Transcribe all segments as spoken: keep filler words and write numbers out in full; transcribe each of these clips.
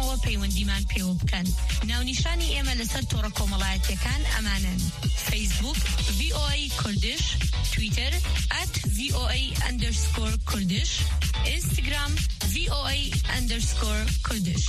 ئەوە پەیوەندیمان پێوە بکەن. ناونیشانی ئێمە لەسەر تۆڕە کۆمەڵایەتیەکان ئەمانەن: فەیسبوک، V O A Kurdish، تویتەر، at V O A underscore Kurdish، ئینستاگرام، V O A underscore Kurdish.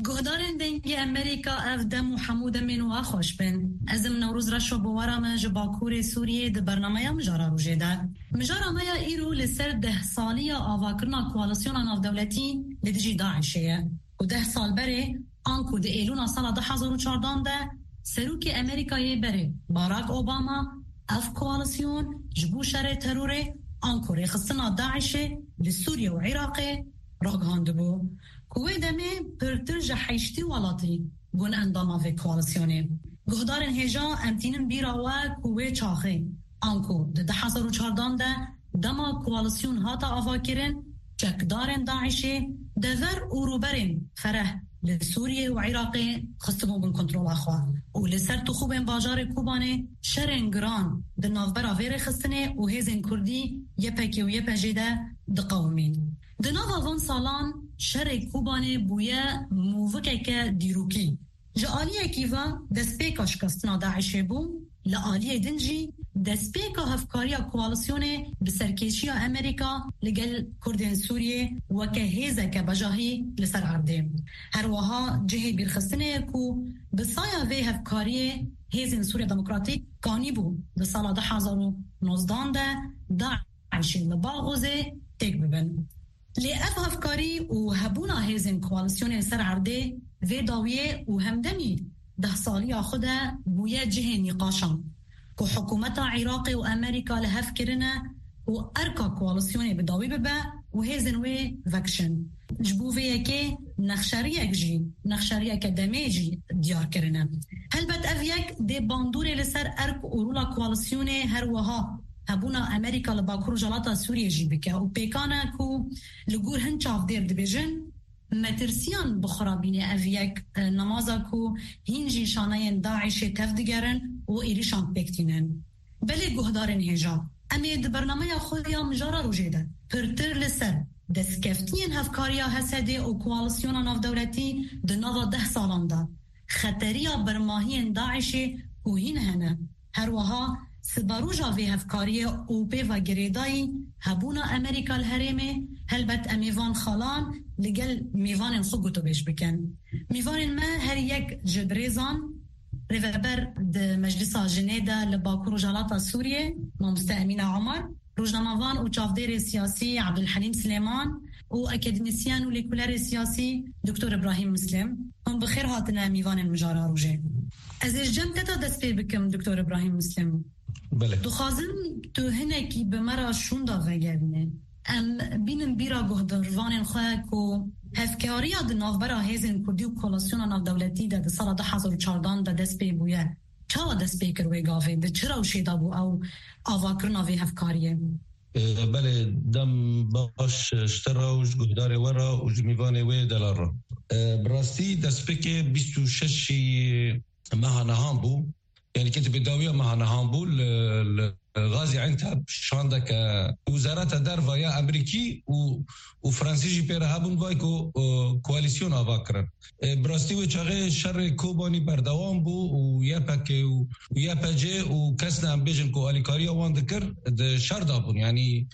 Guhdarên Dengê Amerîka, ev dem û hemû demên we xweş bin. Ez im Newroz Reşo bi we re me ji Bakurê Sûriyê di bernameya Mijara Rojê de. Mijara me ya îro li ser deh saliya avakirina koalîsyona navdewletî li dijî DAIŞê ye. Ku deh sal berê, anku di Êlûna sala du hezar û çardan de, Serokê Amerîkayê berê Barack Obama ev koalîsyon ji bo şerê terorê anku rêxistina DAIŞê li Sûriye û Iraqê ragihandibû, ku wê demê pirtir ji heştê welatî bûn endama vê koalîsyonê. Guhdarên hêja, em tînin bîra we ku wê çaxê, anku di du hezar û çardan de dema koalîsyon hate avakirin, çekdarên DAIŞê dever û rûberên fereh li Sûriye û Iraqê xistibûn bin kontrola xwe û li ser tixûbên bajarê Kobanê şerên giran di navbera vê rêxistinê û hêzên Kurdî Y P G û Y P G de diqewimîn. Di nava van salan şerê Kobanê bûye movikeke dîrokî. Ji aliyekî ve destpêka şikestina DAIŞê bû, li aliyê din jî destpêka hevkariya koalîsyonê bi serkêşiya Amerîka li gel Kurdên Sûriyê weke hêzeke bejahî li ser erdê. Her wiha cihê bîrxistinê ye ku bi saya vê hevkariyê hêzên Sûriya Demokratîk kanîbû di sala du hezar û nozdan de DAIŞê li Baxozê têk bibin. Lê ev hevkarî û hebûna hêzên koalîsyonê li ser erdê vê dawiyê û hemdemî deh saliya xwe de bûye cihê nîqaşan ku hikûmeta Iraqê û Amerîka li hev kirine û erka koalîsyonê bi dawî bibe û hêzên wê vekişin. Ji bo vê yekê nexşeriyek jî, nexşeriyeke demê jî diyar kirine. Helbet ev yek dê bandorê li ser erk û rola koalîsyonê, her wiha hebûna Amerîka li Bakur Rojhilata Sûriyê jî bike û pêkan e ku li gor hin çavdêr dibêjin, metirsiyan bi xwe re bîne ev yek, e, nemaza ku hîn jî şaneyên DAIŞê tev digerin û êrîşan pêk tînin. Belê guhdarên hêja, em ê di bernameya xwe ya Mijara Rojê de pirtir li ser destkeftiyên hevkariya H S D û koalîsyona navdewletî di nava deh salan de, xeteriya bermahiyên DAIŞê ku hîn hene, her wiha siberoja vê hevkariyê û pê ve girêdayî hebûna Amerîka li herêmê, helbet em ê van xalan li gel mêvanên xwe gotûbêj bikin. Mêvanên me her yek ji birêzan rêveber di Meclisa Jinê de li Bakur Rojhilata Sûriyê, Mamoste Emîna Omar, rojnamevan û çavdêrê siyasî Abdulhelîm Silêman û akademîsyen û lêkolerê siyasî Doktor Îbrahîm Muslim. Hûn bi xêr hatine mîvanên Mijara Rojê. Ez ê ji cem te de dest pê bikim, Doktor Îbrahîm Muslim. Belê. Dixwazim tu hinekî bi me re şûnda vegerîne. Em bînin bîra guhdarvanên xwe ku hevkariya di navbera hêzên Kurdî û koalîsyona navdewletî de di sala du hezar û çardan de dest pê bûye. Çawa dest pê kir wê gavê? Di çi rewşê de bû ew avakirina vê hevkariyê? E, belê, dem baş ji te re û ji guhdarê we re û ji mîvanê wê delal re. E, bi rastî destpêkê bîst û şeşî meha nihan bû. Yanî ke bi dawiya meha nihan bû li, li Gazî Enteb şandeke Wezareta Derve ya Amerîkî û, û Fransî jî pê re hebûn, vay ku, e, koalîsyon ava kirin. E, bi rastî wê çaxê şerê Kobanî berdewam bû û Y P G û, û Y P G û kes ne em bêjin ku alîkariya wan dikir, di şer de bûn. Yanî, e,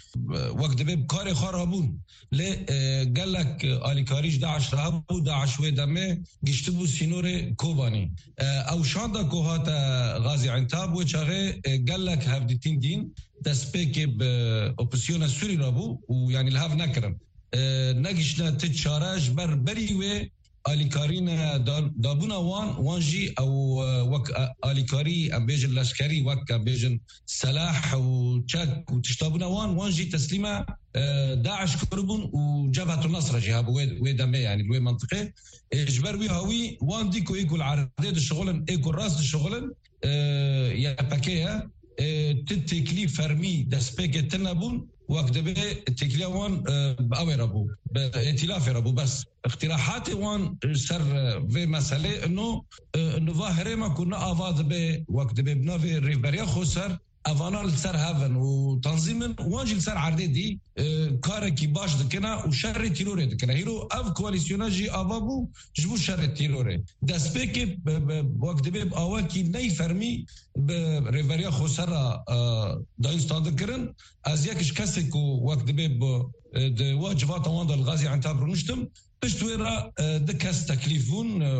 wek dibê bi karê xwe re bûn. Lê, e, gelek alîkarî ji DAIŞ re hebû, DAIŞ wê demê giştibû sînorê Kobanî. E, ew şanda ku hate Gazî Entab, wê çaxê, e, gelek hevdîtîn dîn, destpêkê bi opozîsyona Sûrî re bû û, yanî, li hev nekirin. E, negiştine ti çare ji ber berî wê alîkarî ne da-, dabûna wan, wan jî ew, e, wek, e, alîkarî, em bêjin leşkerî, wek, em bêjin, selah û çek û tişta bûna wan, wan jî teslîme, e, DAIŞ kiribûn û Cebhetun Nesre jî hebû wê, wê demê, yanî li wê mentiqê. E, ji ber wî hawî wan dî ku ê ku li erdê dişixulin, ê ku rast dişixulin, e, Y P G ye. e, ti têkilî fermî destpêkê tune bûn, wek dibê têkiliya wan, e, bi ew ê re bû, bi îtîlafê re bû. Bes îqtîrahatê wan ser, e, vê meselê ino, e, niva herêma ku ne ava dibe, wek dibê bi navê Rêveberiya Xweser, evana li ser hev in û tanzîm in, wan jî li ser erdê dî, e, karekî baş dikine û şerê tîrorê dikine. Hîro ev koalîsyona jî ava bû ji bo şerê tîrorê. Destpêkê, e, e, wek dibê bi awakî ney fermî bi Rêveberiya Xweser re, e, dayîn standin kirin. Ez yek ji kesê ku wek dibê bi, e, di wa civata wan de li Gaziantep rûniştim. Pişt wê re, e, du kes teklîf bûn, e,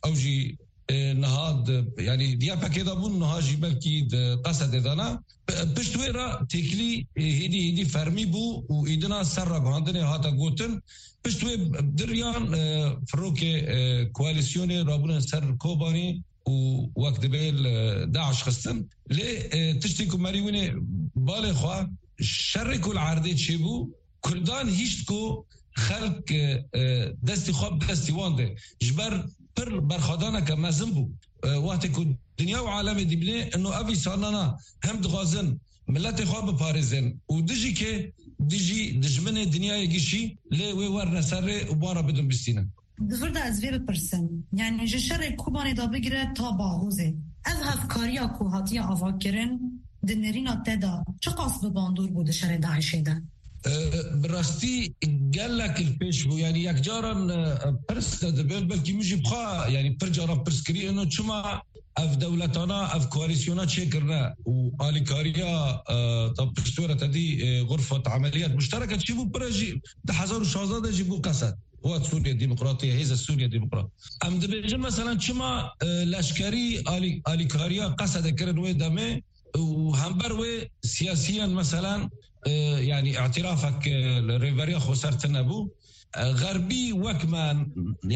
ew jî, e, niha di, yanî di Y P G'ê de bûn, niha jî belkî di Qesedê de ne. P-, pişt wê re têkilî, e, hêdî hêdî fermî bû û îdina ser ragihandinê hate gotin. Pişt wê diriyan, e, firokê, e, koalîsyonê rabûne ser Kobanî û wek dibê li DAIŞ xistin. Lê, e, tiştê ku merî winê balê xwe, şerê ku li erdê çêbû, Kurdan hişt ku xelk, e, e, destî xwe bi destî wan de. Ji ber pir berxwedaneke mezin bû. E, wextê ku dinya û alemê dibîne, ino ev îsanana hem dixwazin miletê xwe biparêzin û dijî kê, dijî dijminê dinyayê gişî, lê wê werne ser rê û wan re bidin bistînin. Di vir de ez vê bipirsim, yanî ji şerê Kobanê de bigire ta Baxûzê, ev hevkariya ku hatiye avakirin di nêrîna te de çiqas bi bandor bû di şerê DAIŞê de? E, bi rastî gelek li pêş bû. Yanî yekcaran, e, pirs de dibin, belkî min jî bixwe, yanî pir caran pirs kirî, ino çima ev dewletana, ev koalîsyona çêkirine û alîkariya, e, ta piştwere te dî, e, xurfet emeliyat muştereke çêbû, pire jî di hezar û şazdeh de jî bû Qesed. Quwet Sûriye Demokratî, Hêza Sûriye Demokrat. Em dibêjin, meselen, çima, e, leşkerî alî-, alîkariya Qesedê kirin wê demê û hember wê siyasiyen, meselen, e, yanî îtirafek, e, li Rêveberiya Xweser tune bû. E, Xerbî wek me,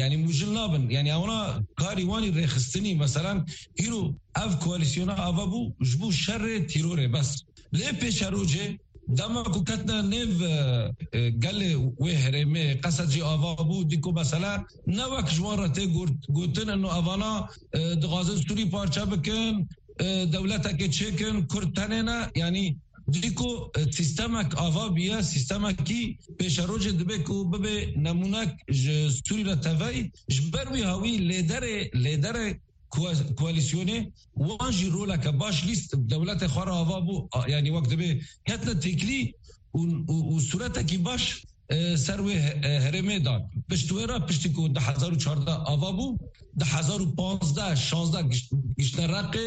yanî mûjil nabin. Yanî ewna karî wanî rêxistinî, meselen, îro ev koalîsyona ava bû ji bo şerê tîrorê bes. Lê pêşerojê, dema ku ketine nêv, e, e, gelê wê herêmê, Qesed jî ava bû, dî ku mesela ne wek ji wan re tê got-, gotin, ino evana, e, dixwazin Sûrî parçe bikin, e, dewletekê çêkin, Kurd tenê ne, yanî dî ku, e, sîstemek ava bûye, sîstemekî pêşerojê dibe ku bibe nemûnek ji Sûrî re tevey, ji ber wî hawî lêderê, lêderê koa-, koalîsyonê, wan jî roleke baş lîst dewletê xwe re ava bû, a, yanî wek dibê ketine têkilî û, û, û sûretekî baş, e, ser wê he-, e, herêmê dan. Pişt wê re, piştî ku du hezar û çardeh ava bû, du hezar û panzdeh şazdeh giş-, giştine Reqê,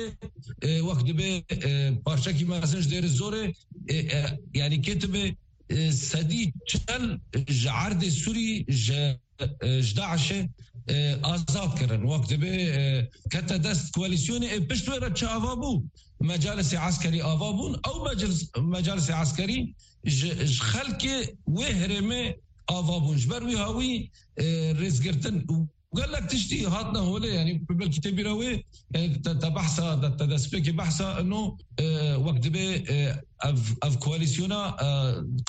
e, wek dibê, e, parçekî mezin ji Dêrê Zorê, e, e, yanî ketibe, e, sedî çel ji erdê Sûrî, ji e, ji DAIŞê, e, azad kirin. Wek dibê, e, kete dest koalîsyonê, ê pişt wê re çi ava bû? Mecalisê eskerî ava bûn. Ew meclis-, mecalisê eskerî ji, ji xelkê wê herêmê ava bûn. Ji ber wî hawî, e, rêzgirtin û gelek tiştî hatine holê, yanî belkî tê bîra wê, yanî te, te behsa, te, te destpêkê behsa ino, e, wek dibê, e, ev, ev koalîsyona, e,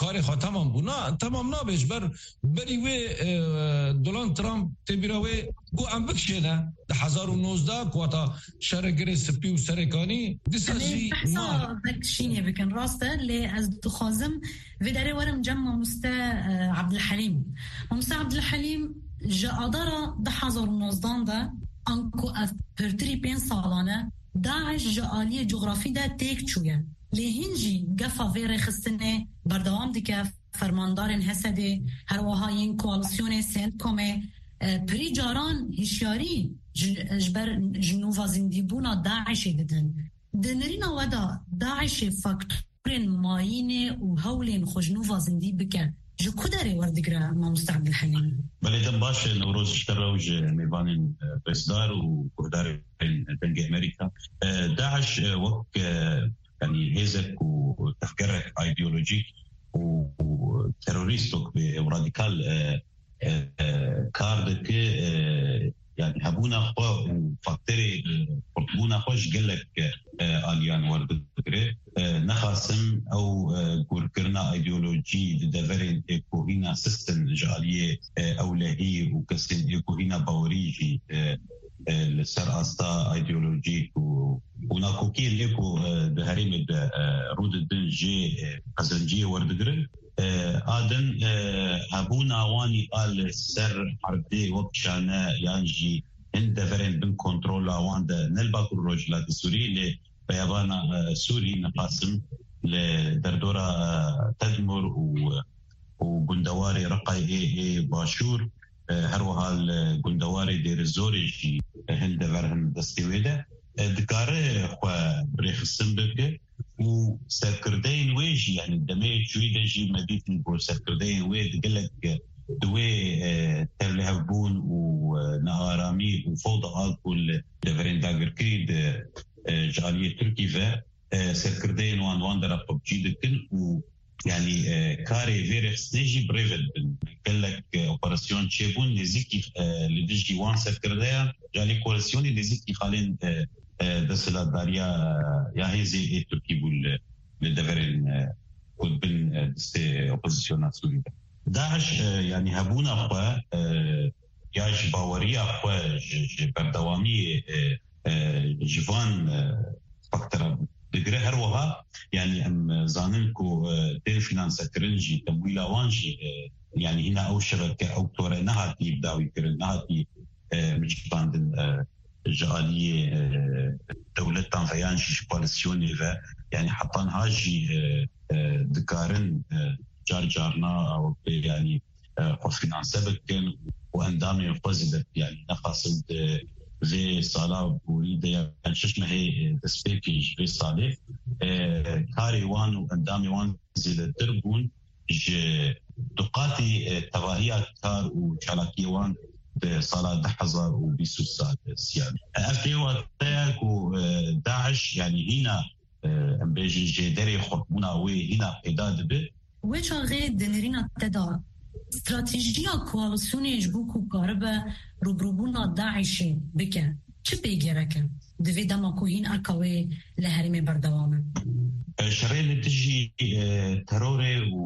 karê xwe temam bû. Na, temam nabe ji ber berî wê, e, Donald Trump tê bîra wê got em bikişêne. Di hezar û nozdeh ku hata şerê Girê Spî û Serêkanî, dîsa Em ê jî behsa ma- vek şînê bikin, rast e, lê ez dixwazim vê derê werim cem mamoste, e, Abdulhelîm. Mamoste Abdulhelîm, ji Adara du hezar û nozdan de, anku ev pirtirî pênc salan e, DAIŞ ji aliyê cografî de têk çûye. Lê hîn jî gefa vê rêxistinê berdewam dike, fermandarên Hesedê, her wiha yên koalîsyonê CENTCOMê, e, pirî caran hişyarî ji, ji ber ji nûva zindîbûna DAIŞê didin. Di nirîna we de DAIŞê faktorên mayînê û hewlên xwe ji nûva zindî bike, ji ku derê werdigire, mamoste Abdulhelîm? Belê, dem baş e, Newroz, ji te re û ji mêvanên, e, rêzdar û guhdarên Dengê Amerîka. E, DAIŞ, e, wek, e, yanî hêzek û tevgerek îdeolojîk û, û terorîstok bê û radîkal, e, e, e, kar dike, e, yanî hebûna xwe û faktorê, e, xurtbûna xwe ji gelek, e, aliyan werdigire. E, nexasim ew, e, gurkirina îdeolojî di deverên, e, kohîna sistem ji aliyê, e, ewlehî û kesên, e, kohîna bawerî jî, e, e, li ser asta îdeolojîk û û nakokiyên ê ku, e, di herêmê de, e, rû didin jê, e, qezenciyê werdigirin. E, a din, e, hebûna wan a li ser erdê wek şane yan jî hin deverên bin kontrola wan de ne li Bakur Rojhilatê Sûrî, lê beyabana, e, Sûrî, nexasim li derdora, e, Tedmur û, û gundewarê Reqayê ê Başûr, e, her wiha li gundewarê Dêrizorê jî, e, hin dever hin destê wê de. E, dikare xwe rêxistin bike û serkirdeyên wê jî, yanî demê çûyî de jî me dîtî ku serkirdeyên wê di gelek, e, di wê, e, tevlihevbûn û, e, nearamî û fewda a ku li deverên dagirkirî di, e, ji aliyê Tirkî ve, e, serkirdeyên wan, wan dera xwe bi cî dikin û, yanî, e, karê vê rêxistinê jî bi rê ve dibin. Gelek, e, operasyon çêbûn nêzîkî, e, li dijî wan serkirdeyan, yanî koalîsyonê nêzîkî xalên, e, e, desthilatdariya, e, ya hêzê ê Tirkî bû li, li deverên, e, ku dibin, e, destê opozisyona Sûrî de. DAIŞ, e, yanî hebûna xwe, e, ya ji baweriya xwe, ji, ji berdewamiyê, e, e, ji van, e, faktera digire. Her wiha, yanî em zanin ku, e, tên finansekirin jî, temwîla wan jî, e, yanî hîna ew şebeke, ew tore nehatî dawîkirin, nehatî, e, miçikandin, e, ji aliyê, e, dewletan ve yan jî ji koalîsyonê ve, yanî heta niha jî, e, e, dikarin, e, car carna, e, yanî, e, xwe finanse bikin û endamên xwe zêde, yanî nexasim di vê sala borî de yan şeş mehê, e, destpêkê ji vê salê, e, karê wan û endamê wan zêdetir bûn ji duqatî, e, tevahiya kar û çalakiyê wan di sala du hezar û bîst û sê de. Ev tê wateya ku, e, DAIŞ, yanî hîna, e, em bêjin jêderê xurtbûna wê hîna peyda dibe. Wê çaxê di nêrîna te de stratejiya koalîsyonê ji bo ku karibe rûbirûbûna DAIŞê bike, çi pê gerek e? Di vê dema ku hîn erka wê li herêmê berdewam e. E, şerê li dijî, e, terorê û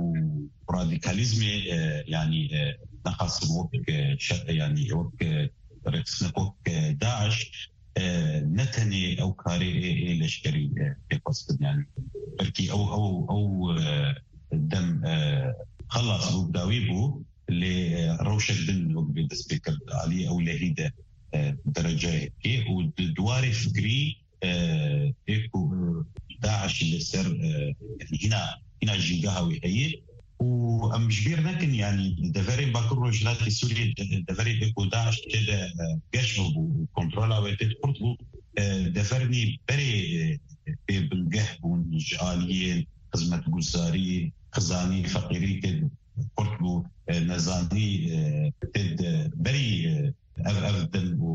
radîkalîzmê, e, yanî, e, nexasim wek, e, şer, yanî wek, e, rêxistinekok, e, DAIŞ, e, ne tenê ew karê ê, ê leşkerî, e, pê xwestin, yanî belkî ew, ew, ew, e, dem, e, xelas bû, bi dawî bû, lê, e, rewşek din wek vê dest pê kir, aliyê ewlehî de, e, dereceyekê û di, di warê fikrî, e, ê ku, e, DAIŞ li ser, e, hîna, hîna jîngeha wî heye. Û em ji bîr nekin, yanî deverên Bakur Rojhilatê Sûriyê, de-, deverê ê ku DAIŞ tê de, e, geş bû û kontrola wê tê de kurt bû, e, devernî berê, e, bê bingeh bûn ji aliyê xizmetguzarî, xizanî, feqîrî tê de kurt bû, e, nezanî, e, tê de berî, e, ev, ev din û,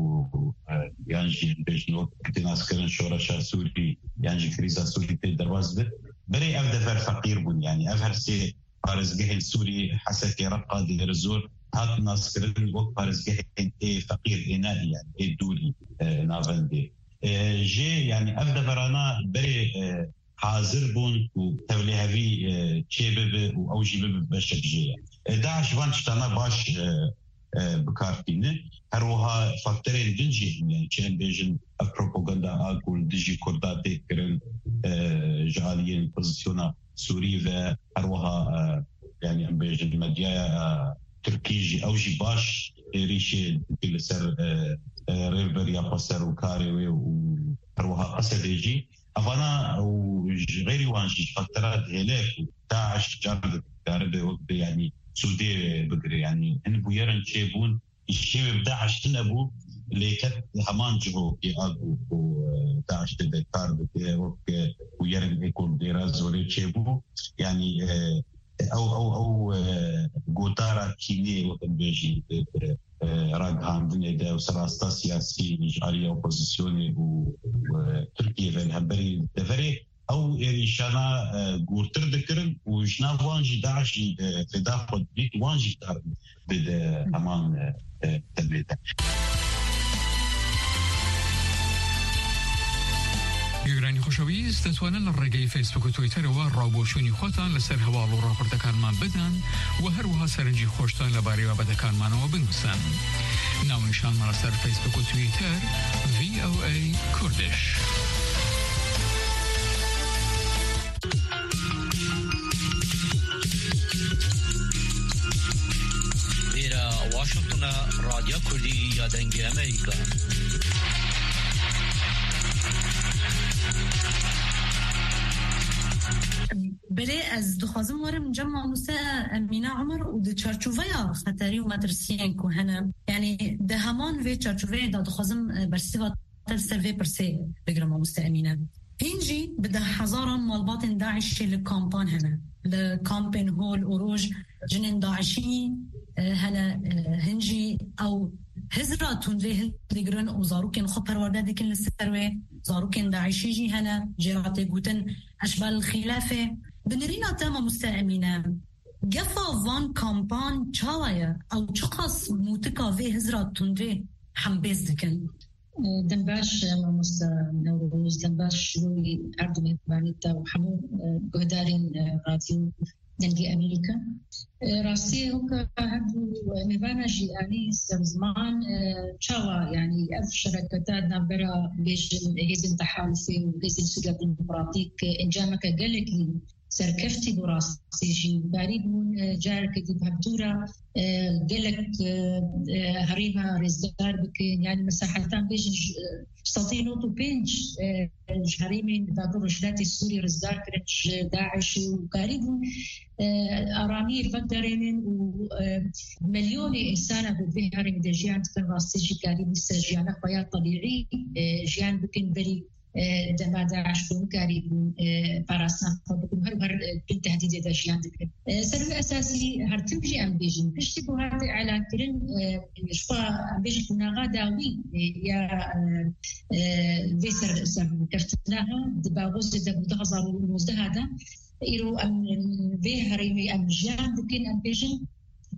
e, yan jî bêjin wek tê naskirin şoreşa Sûrî, yan jî krîza Sûrî tê derbas bit. Berê ev dever feqîr bûn, yanî ev her sê parêzgehên Sûrî, Hesekê, Reqa, Dêrizor, hat naskirin wek parêzgehên ê feqîr, ê ne, yanî ê dûrî, e, navendê. E, jê, yanî ev deverana berê, e, hazir bûn ku tevlihevî, e, çê bibe û ew jî bibe beşek jê ye. E, DAIŞ van tiştana baş, e, e, bi kar tîne. Her wiha faktorên din jî hene, çi em bêjin, ev propaganda a ku li dijî Kurda tê kirin, e, ji aliyên opozisyona Sûrî ve her wiha, e, yanî em bêjin medyaya, e, Tirkî jî, ew jî baş êrîşê dike li ser, e, e, rêveberiya xweser û karê wê û her wiha Qesedê jî. Evana û ji xeyrî wan jî ji faktera dihêle ku DAIŞ car dikare be wek be, yanî sûdê bigire. Yanî hin bûyerin çêbûn, îşê wê bi DAIŞ tune bû, lê ket heman cihokê a ku, ku, e, DAIŞ tê de kar dike, wek, e, bûyerin ê ku li Dêra Zorê çêbû. Yanî, e, ew, ew, ew, e, gotara kînê, wek em bêjin, e, e, e, ragihandinê de û serasta siyasî ji alî opozisyonê û, û, e, Tirkiyê ve li hemberî deverê ew êrîşana, e, gûrtir dikirin û ji nav wan jî DAIŞ jî, e, fêda xwe didît, wan jî kar bide heman, e, e, demê de. گوێگرانی خۆشەویست، دەتوانن لە ڕێگەی فەیسبوک و تویتەرەوە ڕاوبۆچوونی خۆتان لەسەر هەواڵ و ڕاپۆرتەکانمان بدەن و هەروەها سەرنجی خۆشتان لەبارەی بابەتەکانمانەوە بنووسن. ناونیشانمان لەسەر فەیسبوک و تویتەر، ڤی ئۆ ئەی کوردش. Ya Kurdî ya Dengê Amerîka. Belê, ez dixwazim werim cem mamoste Emîne Umer û di çarçoveya xeterî û metirsiyên ku hene, yanî di heman vê çarçoveyê de dixwazim, e, bersiva te li ser vê pirsê bigirim, mamoste Emîne. Hîn jî bi deh hezaran malbatên DAIŞê li kampan hene. Li kampên Hol û Roj jinên DAIŞî, e, hene, e, hîn jî ew hizra tundrê hildigirin û zarokên xwe perwerde dikin li ser wê. Zarokên DAIŞî jî hene, jê re tê gotin eşbal xîlafê. Bi nirîna te, mamoste Emîne, gefa van kampan çawa ye? Ew çiqas mûtika vê hizra tundrê hembêz dikin? Dem baş, mamoste Newroz, dem baş ji bo wî her du mêvanî te û hemû, e, guhdarên, e, Radyo Dengê Amerîka. E, rastî weke her du mêvana jî anî ser ziman, e, çawa, yanî ev şereketa di navbera bêjin hêzên tehalufê û hêzên Sûriya Demokratîk, e, encameke gelekî serkeftî bû rastî jî. Karîbûn, e, careke dî bi hevdû re, e, gelek, e, e, herêma rêzdar bikin. Yanî mesela heta em bêjin ji, e, sedî nod û pênc, e, ji herêmên Dagir Rojhilatê Sûrî rêzdar kirin ji DAIŞ û karîbûn, e, aramiyê li veguherînin û, e, milyonê însana ku di vê herêmê de jiyan dikin rastî jî karîbûn ser jiyana xwe ya tebîî, e, jiyan bikin berî e, dema DAIŞ bûn, karîbûn, e, parastina xwe bikin, her û her, e, bin tehdîdê de jiyan dikin. E, ser wî esasî her tim jî em bêjin, piştî ku hate elankirin, e, ji xwe em bêjin qonaxa dawî, e, ya, e, e, vê ser, serkeftina ha, di bagozê de bû du hezar û nozdeh de, îro em, em vê herêmê em jiyan dikin, em bêjin,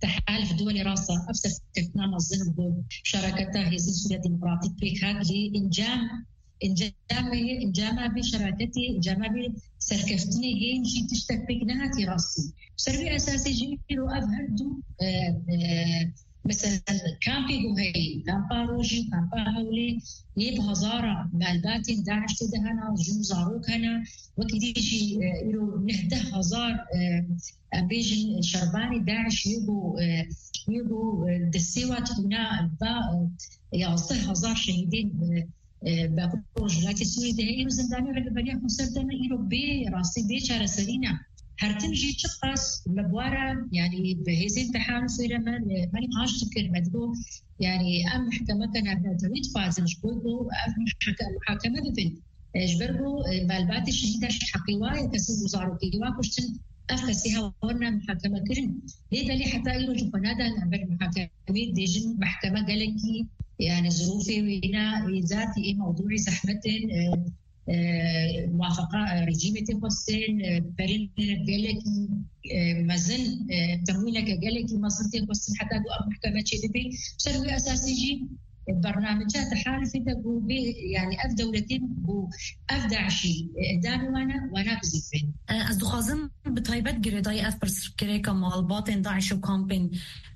tehaluf duwelê rasa, ev serkeftina mezin bû, şereketa Hêzên Sûriya Demokratîk pêk hat, lê encam Encamê, encama vê şeraketê, encama vê serkeftinê hên jî tiştek pêk nehatî rastî. Ser vê esasê jî îro ev her du, e, e, mesela kampê ku heyî, kampa Rojî û kampa Hewlê, yê bi hezara malbatên DAIŞ tê de hene, jin û zarok hene, wekî dî jî, e, îro neh deh hezar, e, em bêjin şervanê DAIŞ yê ku, e, yê ku, e, destê wa tûna va, e, yazdeh hezar şehîdên, e, e, Bakur Rojhilatê Sûriyê de heye, îro zindanê rêveberiya xweser de ne, îro bê rastî, bê çareserî ne. Her tim jî çiqas me bi wan re, yanî bi hêzên tehalufê re me, me nîqaş dikir, me digot, yanî em mehkemeke navnetewî dixwazin ji bo ku ev mehke-, muhakeme bibin. E, ji ber ku, e, malbatê şehîda ji heqê wa ye, kesên ku zarokê wa kuştin, ev kesê hewa werine muhakeme kirin. Lê belê heta îro jî xwe nadan em ber muhakemê, dibêjin mehkeme gelekî, yani zirûfê wêne, ê zatî ê mewdûî zehmet in, e, e, muwafaqa, e, rejîmê tê xwestin, e, perên gelekî, e, mezin, e, temwîleke gelekî mezin tê xwestin heta ku ev mehkeme çêbibe. Ser wî esasî jî, e, bernameca tehalufê de ku bê, yani ev dewletê ku ev DAIŞî, e, endamê wan e, wana bizîfin. E, ez dixwazim bi taybet girêdayî ev pirsgirêka malbatên DAIŞ û kampên,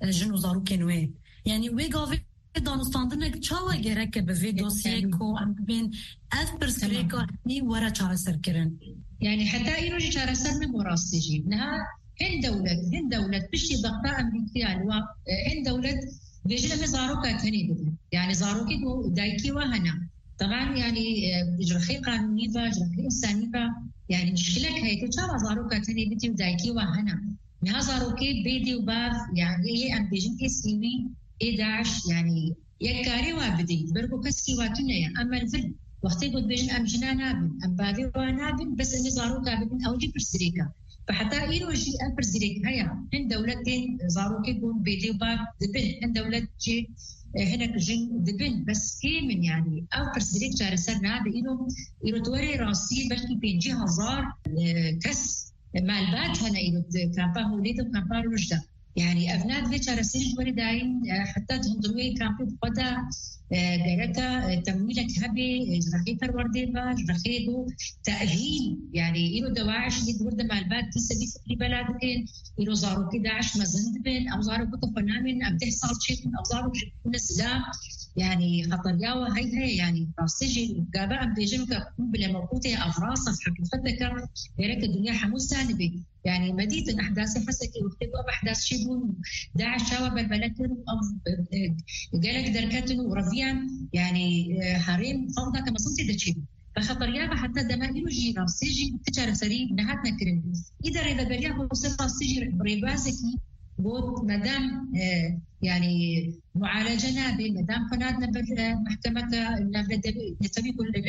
e, jin û zarokên wê. Yani wê gavê danûstandinek çawa gereke bi vê dosyê ku em bibên ev pirsgirêka hînî were çareserkirin? Yani heta îro jî çareser nebû rastî jî. Niha hin dewlet, hin dewlet piştî dexta Amerîkiya li wa, e, hin dewlet dibêjin em ê zaroka tenê bidin. Yani zarokê ku dayikê wa hene. Teban yani, e, ji rexê qanûnî ve, ji rexê însanî ve, yani mişkilek heye ku çawa zaroka tenê bidî û dayikê wa hene. Niha zarokê bê dê û bav, yani ê em bêjin ê sêwî, ê DAIŞ, yani yek karê wa bidî, ber ku keskî wa tune ye. Em li vir wextê ku dibêjin em jina nabin, em bavê wa nabin, bes em ê zaroka bibin, ew jî pirsgirêk e. Bi heta îro jî ev pirsgirêk heye. Hin dewlet tên zarokê ku bê dê û bav dibin, hin dewlet jî, e, hinek jin dibin, bes kêm in yani. Ev pirsgirêk çareser nabe. Îro, îro di werê rastî belkî pêncî hezar, e, kes malbat hene îro di kampa Holê de û kampa Roj de. Yani ev ne divê çareserî ji werê dayîn, e, heta di hundirwê kampê bi xwe de, e, gereke, e, temwîlek hebe, e, ji rexê perwerdê ve, ji rexê ku tehîl, yani îro DAIŞ jî di wir de malbat dîse vî fikrî bela dikin, îro zarokê DAIŞ mezin dibin, ew zarok ku xwe namên, em deh sal çêbûn, ew zarok ji bûne zilam, yani xeteriya we hey heye, yani rastî jî gava em bêjin ke bile mewqûtê ev rast e, heqîqeteke gereke dinya hemû zanibê. Yani me dîtin ehdasê Hesekê wextê ku ev ehdas çêbûn û DAIŞ çawa belbele kir û ev, e, e, gelek derketin û reviyan, yani, e, herêm xalda ke mezin tê de çêbûn. Ve xeteriya ve heta dema îro jî rastî jî ti çareserî nehatine kirin. Îda rêveberiya Xweser rastî jî rêbazekî got, medam, e, yani, mualece nabe, medam xwe nadine ber, e, mehkemeke navnetewî, netewî ku, e,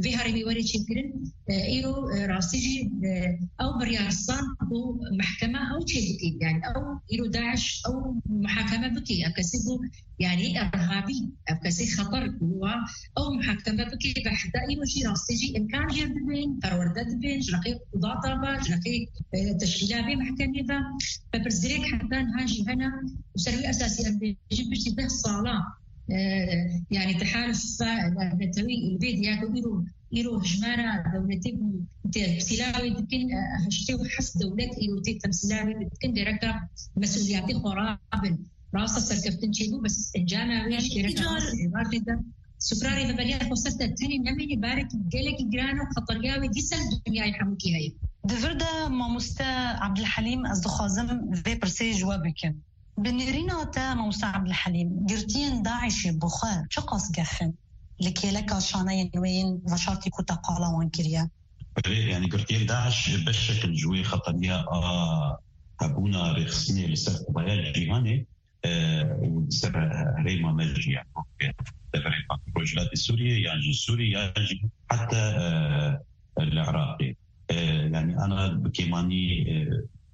vê herêmê were çêkirin, e, îro, e, rastî jî, e, ew biryar san ku mehkeme ew çê bike. Yani ew îro DAIŞ ew muhakeme bike. Ev kesê ku, yani, irhabî, ev kesê xeter ku wa ew muhakeme bike ve heta îro jî rastî jî imkan jê dibên, perwerde dibên, ji rexê qudata ve, ji rexê, e, teşkîla vê mehkemê ve. Ve pirsgirêk heta niha jî hene û ser wî esasî em bêjin piştî deh sala, e, yani tehaluf navnetewî li vê diya ku îro, îro hijmara dewletê ku tê sîlavê dikin, e, heştê û heft dewlet îro tê temsîlavê dikin, gereka mesûliyetê xwe rabin. Rasta serkeftin çêbû, bes encama wê Yani jî gereka îcar rast êvarê de. Sufra rêveberiya Xweser de tenê nemênî barek gelekî giran û xeteriya wê dîsa li dinyayê hemûkî heye. Di vir de mamoste Abdulhelîm, ez dixwazim vê pirsê ji we bikim. Bi nêrîna te mamoste Abdulhelîm, girtiyên DAIŞê bi xwe çiqas gef in li kêleka şaneyên wê yên veşartî ku te qala wan kiriye? Belê, yani girtiyên DAIŞ beşek in ji wê xeteriya a hebûna rêxistinê li ser qubaya cîhanê, e, û li ser herêma me jî, yani wek deverê Rojhilatê Sûriyê yan jî Sûrî yan jî heta, e, li Iraqê. E, yani ana bi kêmanî, e,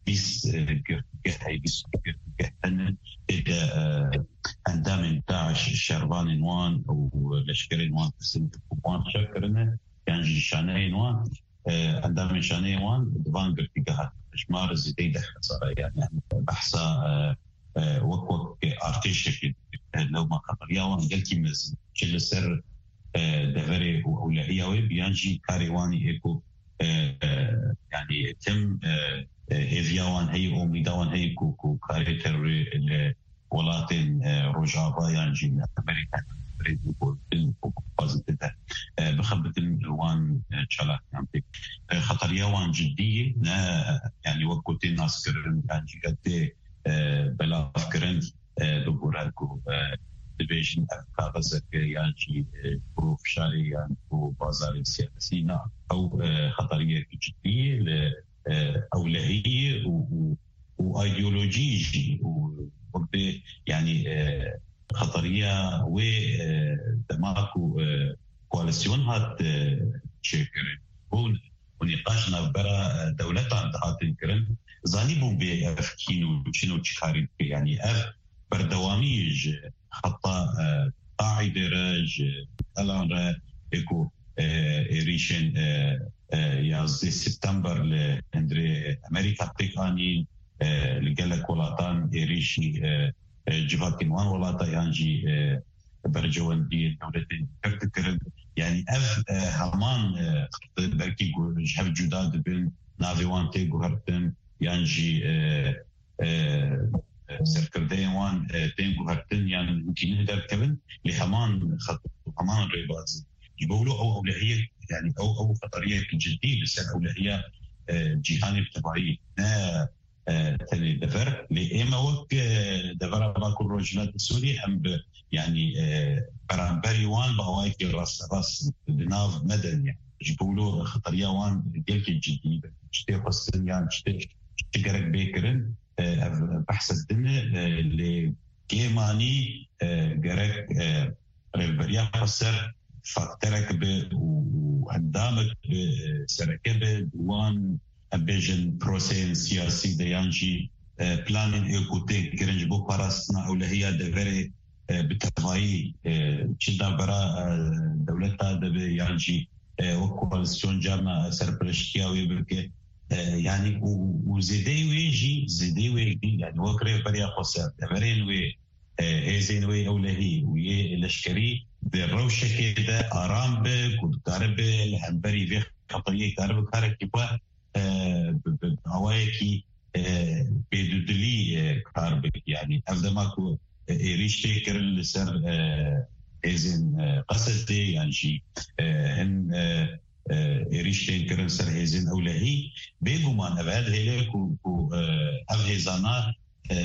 bîst, e, girtîgeh heye, bîst girtîgeh hene. Tê de, e, endamên DAIŞ, şervanên wan û leşkerên wan kesên ku wan şer kirine, yan jî şaneyên wan, e, endamên şaneyên wan di van girtîgehan, hejmar zêdeyî deh hezar e, yani behsa, e, e, wek, wek artêşekê, e, lewma xeteriya wan gelkî mezin, çi li ser, e, deverê û ewlehiya wê bi yan jî karê wan ê ku, e, e, yani tim, e, e, hêviya wan heye, umîda wan heye ku, ku karê terorê li welatên, e, Rojava yan jî li Amerîka, rêzî gotin û xwazî tê de, e, bixebitin wan, e, çalakiyan tê. E, xeteriya wan cidî ye, ne, yani wek ku tê naskirin yan jî tê, e, belavkirin, e, bigore ku, e, dibêjin ev kaxizeke yan jî, e, ku fişarê yan ku bazarê siyasî, na, ew, e, xeteriyek cidî ye li, e, ewlehiyê û, û û ideolojî jî û wek bê, yani, e, xeteriya wê, e, dema ku, e, koalîsyon hat, e, çêkirin, bûn û nîqaş navbera, e, dewletan dihatin kirin, zanîbûn bê ev kîn û çin û çi karî dike. Yani ev berdewamî ji heta, e, Qaîdê re, ji Elan re, ê ku, e, êrîşên, e, e, yazdeh September li hundirê Amerîka pêk anîn, e, li gelek welatan êrîşî, e, e, civakên wan welata yan jî, e, berjewendiyên dewletên dî dikirin. Yani ev, e, heman, e, belkî gu-, ji hev cuda dibin, navê wan tê guhertin, yan jî, e, e, serkirdeyên wan, e, tên guhertin yan hûn tînin derdikevin, lê heman xet, heman rêbaz. Ji bo wilo ew ewlehiyek, yani ew, ew xeteriyek cidî li ser ewlehiya, e, cîhanê bi tevayî, ne, e, tenê dever. Lê ême wek, e, devera Bakur Rojhilatê Sûriyê em bi, yani, e, beramberî wan bi awayekî rasterast di nav me de niye. Ji bo wilo xeteriya wan gelkî cidî be. Çi tê xwestin yan çi tê, çi gerek bê kirin, e, ev behsa din e, e, lê kêmanî, e, gerek, e, rêveberiya xweser fakterek be û, û endamek be, e, sereke be, di wan, em bêjin, proseyên siyasî de yan jî, e, planên ê ku tên kirin ji bo parastina ewlehiya deverê, e, bi tevayî, e, çi navbera, e, dewleta de be yan jî, e, wek koalîsyon carna serpereştiya wê bike. E, yani û, û zêdeyê wê jî, zêdeyê wê jî, yani wek rêveberiya xweser, deverên wê, e, hêzên wê ewlehî û yê leşkerî di rewşekê de aram be, ku dikaribe li hemberî vê xeteriyê karibe karekî xwe, e, bi, bi, bi awayekî, e, bêdudilî, e, kar bike. Yani ev dema ku, e, êrîş tê kirin li ser, e, hêzên, e, Qesedê yan jî, e, hin, e, e, êrîş tên kirin ser hêzên ewlehî. Bêguman ev her hêle ku, ku, e, ev hêzana, e,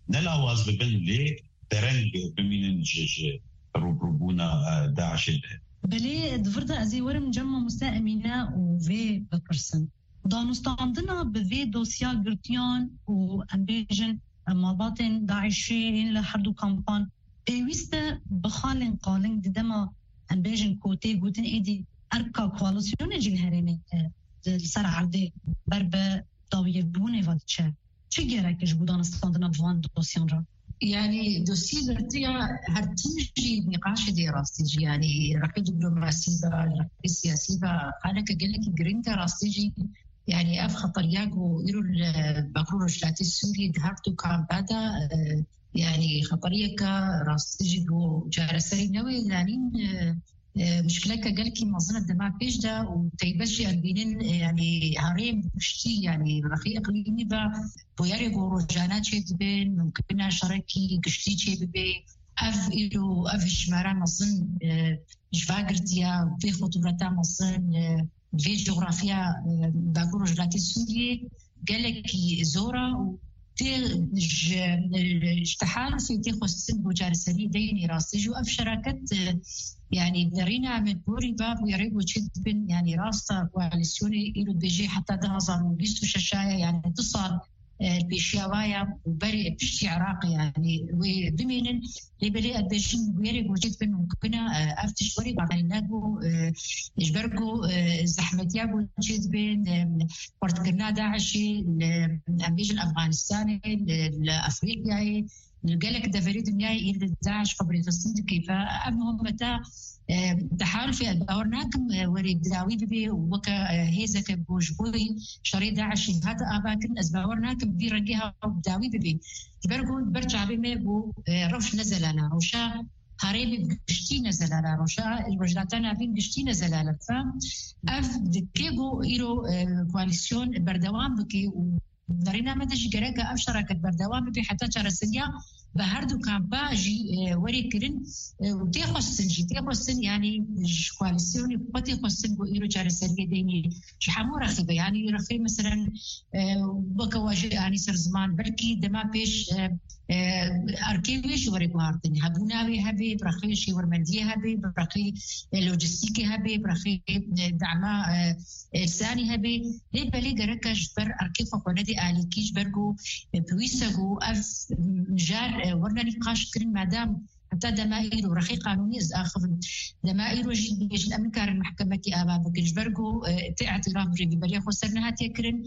ne lawaz bibin, lê dereng bimînin ji, ji rûbirûbûna, e, DAIŞê de. Belê, di vir de ez ê werim cem mamoste Emîne û vê bipirsim. Danûstandina bi vê dosya girtiyan û, em bêjin, malbatên DAIŞê yên li her du kampan pêwîst e bi xalên qaling di dema, em bêjin, ku tê gotin êdî erka koalîsyonê jî li herêmê, e, li ser erdê ber bi dawiyebûnê ve diçe. Çi gerek e ji bo danûstandina bi van dosyan re? Yani dosyê girtiya her tim jî nîqaşê dê rastî jî, yani rexê diplomasî ve, rexê siyasî ve, xaleke gelekî giring e rastî jî. Yani ev xeteriya ku îro li Bakur Rojhilatê Sûriyê di her du kampa de, e, yani xeteriyeke rastî jî ku çareserî newê, yanî, e, e, muşkileke gelkî mezin e dema pêş de û teybet jî em bînin, e, yani herêm giştî, yani rexî iqlîmî ve bûyerê ku rojane çêdibin, mumkin e şerekî giştî çêbibe. Ev îro, ev hişmara mezin, e, ji va girtiya vê xutûreta mezin, e, vê coxrafiya, e, Bakur Rojhilatê Sûriyê gelekî zor e û tê ji, ji tehalufê tê xwestin bo çareseriyê deynê rastî jî û ev şeraket, e, yani derîna min borî va bûyerê ku çêdibin, yani rasta koalîsyonê îro dibêje heta du hazar û bîst û şeş aya, yani du sal, e, pêşiya wa ya û berê piştî Iraqê, yani wê bimînin. Lê belê ez bêjim bûyerê ku çêdibin mumkin e, e, ev tişt werê guhertin, ne ku, e, ji ber ku, e, zehmetiya ku çêdibin, e, xurtkirina DAIŞê li, em bêjin Efxanistanê, li, li Efrîqyayê, li gelek deverê dinyayê îro DAIŞ xwe bi rêxistin dike. Ev muhimmeta, e, tehalufê ez bawer nakim, e, werê bi dawî bibe û weke, e, hêzeke ku ji bo şerê DAIŞê hate avakirin, ez bawer nakim vî rengê ha bi dawî bibe. Ji ber ku ber çavê me bû, e, rewş ne zelal e. Rewşa herêmê giştî ne zelal e. Rewşa Rojhilata Navîn giştî ne zelal e. Ev dike ku îro, e, koalîsyon berdewam bike û derîna me de jî gerek e ev şereket berdewam bibe heta çareseriya bi her du kampa jî, e, werê kirin, e, û tê xwestin jî, tê xwestin, yani ji koalîsyonê xwe tê xwestin ku îro çareseriyê deynê ji hemû rexî be. Yani rexê, meselen, e, weke we jî anî ser ziman, belkî dema pêş, e, e, erkê wê jî were guhartin, hebûna wê hebe, bi rexê şêwirmendiyê hebe, bi rexê, e, lojistîkê hebe, bi rexê, e, dema, e, e, lisanî hebe. Lê belê gerek e ji ber erkê xwe xwe nedê alîkî, ji ber ku, e, pêwîst e ku ev mijar, e, werine nîqaş kirin, madem heta dema îro rexê qanûnî ez axivim. Dema îro jî dibêjin em nikarin mehkemekî ava bikin, ji ber ku, e, tê îtiraf bi rêveberiya xweser nehatiye kirin.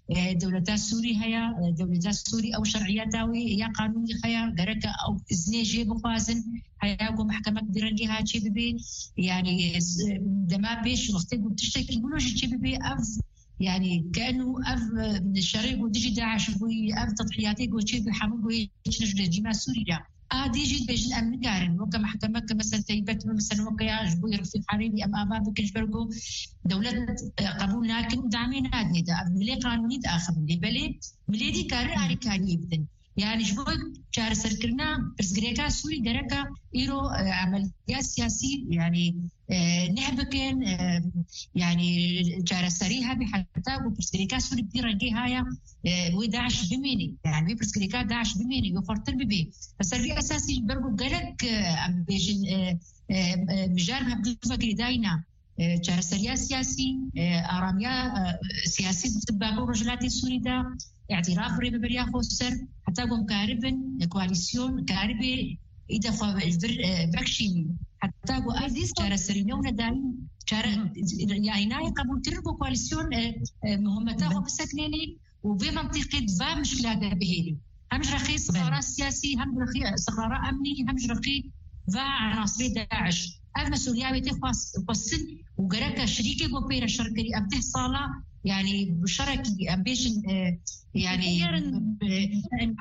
E, dewleta Sûrî heye, e, dewleta Sûrî ew şer'iyeta wê ya qanûnî heye, gereke ew iznê jê bixwazin, heya ku mehkemek bi rengê ha çê bibe. Yani, e, dema pêş wextê ku tiştekî wilo jî çê bibe, ev, yani, kenu ev, e, şerê ku dijî DAIŞ bûyî, ev tedhiyatê ku çê bi hemû ku yê çin ji rejîma Sûrî re. A dî jî dibêjin em nikarin weke mehkemeke, mesela, teybet, mesela, weke ya ji bo rifîq herêmî em ava bikin, ji ber ku dewlet, e, qebûl nakin û damê nadinê de. Ev milê qanûnî diaxivin. Lê belê milê dî karin alîkariyê bidin. Yani ji bo çareserkirina pirsgirêka Sûrî gereka îro, e, emeliya siyasî, yani, e, neh bikin, e, yani çareserî hebe heta ku pirsgirêka Sûrî bi vî rengê haya, e, wê DAIŞ bimêne. Yani wê pirsgirêka DAIŞ bimêne, wê xurtir bibe. Li ser vî esasî ji ber ku gelek, e, em bêjin, e, e, e, mijar bi hev du ve girêdayî ne. E, çareseriya siyasî, e, aramiya, e, siyasî di Bakur Rojhilatê Sûrî de, îtiraf bi rêveberiya xweser, heta ku em karibin, e, koalîsyon karibe îde xwe ji vir, e, vekişînî. Heta ku ev çareserî ne û nedayî, çare-, Hı hı. yani nayê qebûlkirin ku koalîsyon, e, e, muhimmeta xwe Be- bisekinênî û vê mentiqê di va mişkila de bihêlî. Hem ji rexê istiqrara Belê. siyasî, hem ji rexê istiqrara emnî, hem ji rexê va enasirê DAIŞ. Ev mesûliya wê tê xwest-, xwestin û gereke şirîkê ku pê re şer kirî ev deh sala, yani bi şerekî em bêjin, e, yani, Diyarin, e,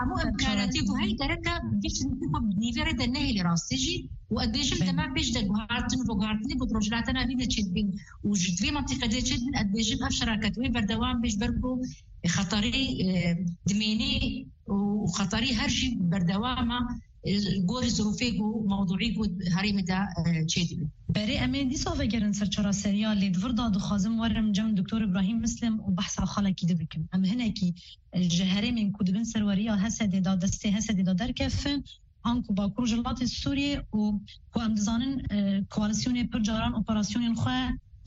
hemû em karantî ku hey gereke bêjin ku bi nîvê re de nehêlî rastî jî û ez bêjim Belê. dema pêş de guhartin û guhartinê ku rojhilata navîn de çêdibin û ji vê mentiqê de çêdibin, ez bêjim ev şeraket wê berdewam bê ji ber ku xeterî, e, dimênê û xeterî her jî berdewam e. e, gorî zirûfê ku mewdûî ku herêmê de, e, çêdibe. Berê em ê dîsa vegerin ser çareseriya, lê di vir de dixwazim werim cem Doktor Îbrahîm Mislim û behsa xalekî din bikim. Em hinekî, e, ji herêmên ku di bin serweriya Hesedê de, destê Hesedê de derkefin, anku Bakur Rojhilatê Sûriyê û ku em dizanin, e, koalîsyonê pir caran operasyonên xwe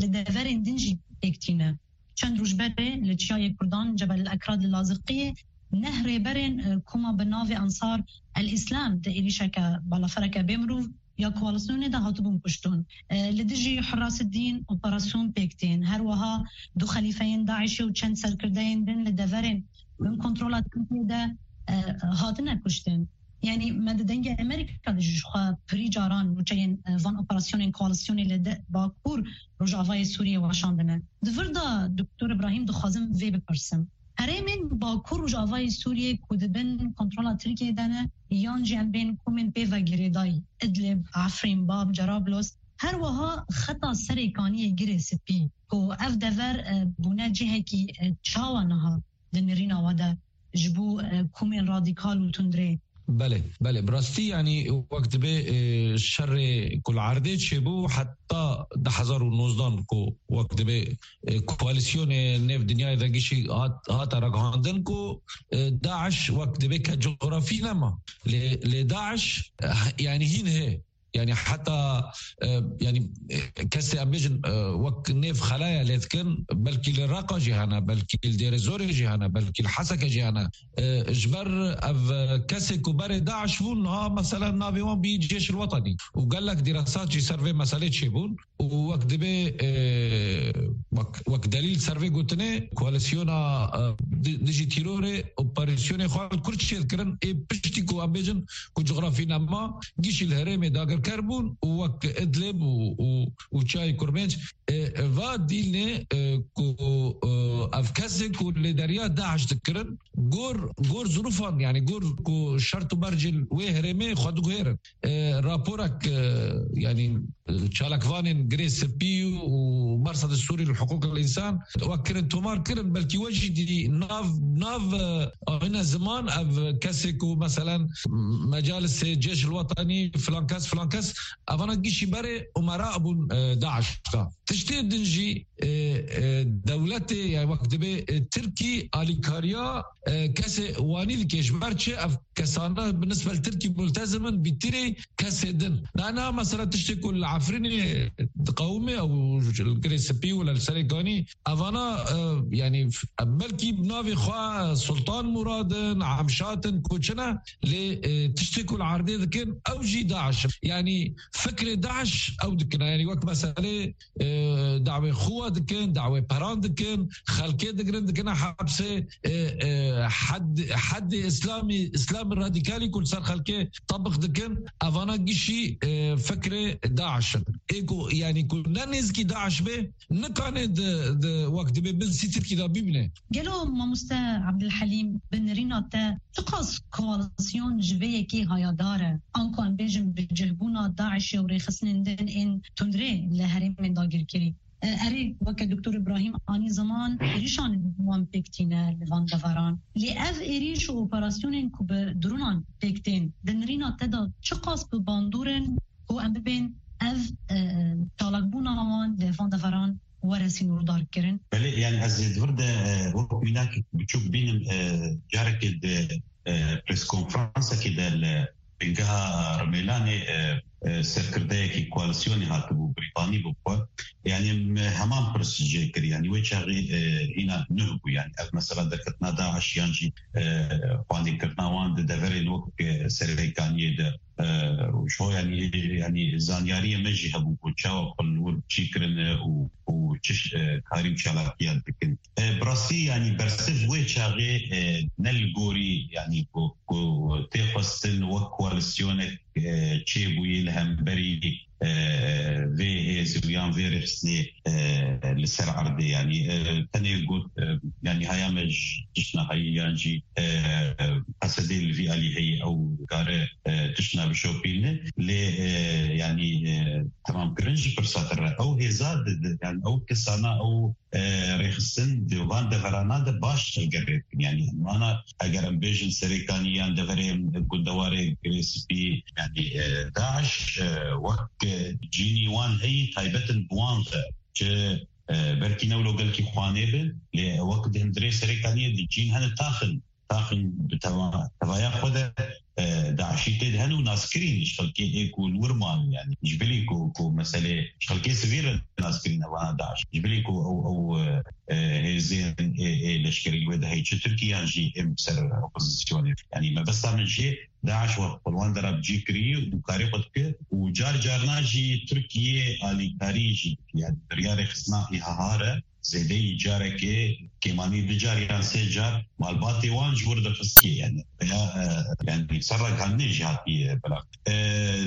li deverên din jî pêk tîne. Çend roj berê li çiyayê Kurdan Cebel Ekrad li Laziqiyê neh rêberên, e, koma bi navê Ansar El Îslam di êrîşeke balafereke bê mirov ya koalîsyonê de hatibûn kuştin. E, li dijî Hurras Dîn operasyon pêk tên. Her wiha du xelîfeyên DAIŞê û çend serkirdeyên din li deverên bin kontrola Tirkiyê de, e, hatine kuştin. Yanî me di Dengê Amerîka de jî ji xwe pirî caran nûçeyên, e, van operasyonên koalîsyonê li de Bakur Rojavayê Sûriyê weşandine. Di vir de Doktor Îbrahîm dixwazim vê bipirsim. Herêmên Bakur Rojavayê Sûriyê ku di bin kontrola Tirkiyê de ne, yan jî em bên komên pê ve girêdayî, Idlib, Efrîn, Bab, Cerablos, her wiha xeta Serê Kaniyê Girê Spî, ku ev dever, e, bûne cihekî, e, çawa niha di nirîna we de ji bo, e, komên radîkal û tundrê? Belê, belê. Bi rastî, yanî, wek dibê, e, şerê ku li erdê çêbû, heta du hezar û nozdan ku wek dibê, e, koalîsyonê nêv dinyayê de gişî hat, hate ragihandin ku, e, DAIŞ wek dibê ke cografî nema. Lê, lê DAIŞ, e, yanî hîn hê. Yanî heta, e, yanî, e, kesê em bêjin, e, wek nêv xelaya lê dikin, belkî li Reqa jî hene, belkî li Dêrê Zorê jî hene, belkî li Heseke jî hene. E, ji ber ev, e, kesê ku berê DAIŞ bûn, niha mesela navê wan bî Cêşil Wetanî. Û gelek dîresat jî ser vê meselê çêbûn. Û wek dibê, e, wek, wek delîl ser vê gotinê, koalîsyona, e, di-, dijî tîrorê operasyonê xwe li kur çêdikirin, ê piştî ku em bêjin ku cografî nema, gişî li herêmê dagirker bûn û wek Idlib û, û, û Çiyayê Kurmênc, e, va dîlnê, e, ku, e, ev kesê ku lêderiya DAIŞ dikirin, gor, gor zirûfan, yanî gor ku şert û mercên wê herêmê xwe diguhêrin. E, raporek, e, yanî, e, çalakvanên Girê Spî û Mersedê Sûrî li Hiqûqil Însan wek kirin tomar kirin, belkî we jî dî nav, nav, e, ayna ziman ev kesê ku meselen mecalisê Cêşil Wetanî filan kes, filan kes, evana gişî berê umera bûn, e, DAIŞ de. Tiştê din jî, e, e, dewletê, yani wek dibê, e, Tirkî alîkariya, e, kesê wanî dike. Ji ber çi ev kesana bi nisbet Tirkî multezim in bîtirê kesê din. Na, na, mesela tiştê ku li Efrînê diqewime ew li Girê Spî û li Serê Kanî, evana, e, yani f-, belkî bi navê xwe Sultan Murad in, Emşat in, ku çi ne, lê, e, tiştê ku li erdê dikin, ew jî DAIŞ in. Yani fikrê DAIŞ ew dikin. Yani wek meselê e, dawê xwe dikin, dawê peran dikin, xelkê digirin, dikine hepsê, e, e, hed-, heddê Îslamî, Îslamî radîkalî ku li ser xelkê tebiq dikin, evana gişî, e, fikrê DAIŞ in. Ê ku, yanî ku ne nêzikî DAIŞ bê, nikane di, di, wek dibê bin sî Tirkî de bibîne. Gelo mamoste Abdulhelîm, bi nirîna te çiqas koalîsyon ji vê yekê hayadar e? Anku em bêjin bi cihbûna DAIŞê û rêxistinên din ên tundrê li herêmên dagirkirî. E, erê, weke Doktor Îbrahîm anî ziman, êrîşan wan pêk tîne li van deveran. Lê ev êrîş û operasyonên ku bi dronan pêk tên, di nirîna te de çiqas bi bandor in ku em bibên ev, e, çalakbûna wan li van deveran were sînordarkirin? Belê, yani ez ê di vir de, e, wek mînak biçûk bînim, e, carekê di, e, preskonferansekê de li bingeha Rimêlanê, e, e, serkirdeyekî koalîsyonê hatibû, Brîtanî bû xwe. Yani me heman pirs jê kir, yani wê çaxê, e, hîna nuh bû, yani ev mesela derketina DAIŞ yan jî, e, xwendîkirina wan di deverên wek, e, Serêkaniyê de. E, û ji bo, yanî, yanî zanyariyê me jî hebû ku çawa xwe li wir çî kirine û, û çi ş-, e, karî û çalakiyan dikin. E, bi rastî, yanî bersiv wê çaxê, e, ne li gorî, yanî ku, ku tê xwestin wek koalîsyonek, e, çêbûyî li hemberî, e, vê hêz û yan vê rêxistinê, e, li ser erdê, yanî, e, tenê got, e, yanî haya me ji tiştna heyî yan jî, e, qesedê li vî alî heyî ew kare, e, tiştna bişopîne. Lê, e, yanî, e, temamkirin jî pirsa te re. Ew hêza di, di, yanî ew kesana, ew, e, rêxistin di van deverana de baş tevgerê dikin. Yanî em ana, eger em bêjin Serêkanî yan deverê em gundewarê Girê Spî, yanî, e, DAIŞ, e, wek, e, cînî wan heyî taybet in bi wan ve. Çi, e, belkî ne wilo gelkî xwanê bin, lê wek di hundirê Serêkaniyê di cîn hene taxin. Taxin bi teva-, tevaya xwe de, e, DAIŞî tê de hene û naskirîn ji xelkê ê ku li wir man, yanî ji bilî ku, ku meselê ji xelkê sivîl re naskirîn evana DAIŞ. Ji bilî ku ew, ew, e, e, hêzên ê, ê leşkerî wê de heyî çi Tirkî yan jî êm ser opozisyonê. Yanî mebesta min jê DAIŞ wek pelwan de re bi cî kirî û karê xwe dike û car carna jî Tirkiye alîkarî jî dike. Yanî biryarê xistina î ha ha re zêdeyî carekê kêmanî du car yan sê car malbatê wan ji wir dixistiye. Yanî ya, e, yanî ser ragihandinê jî hatiye belav. E,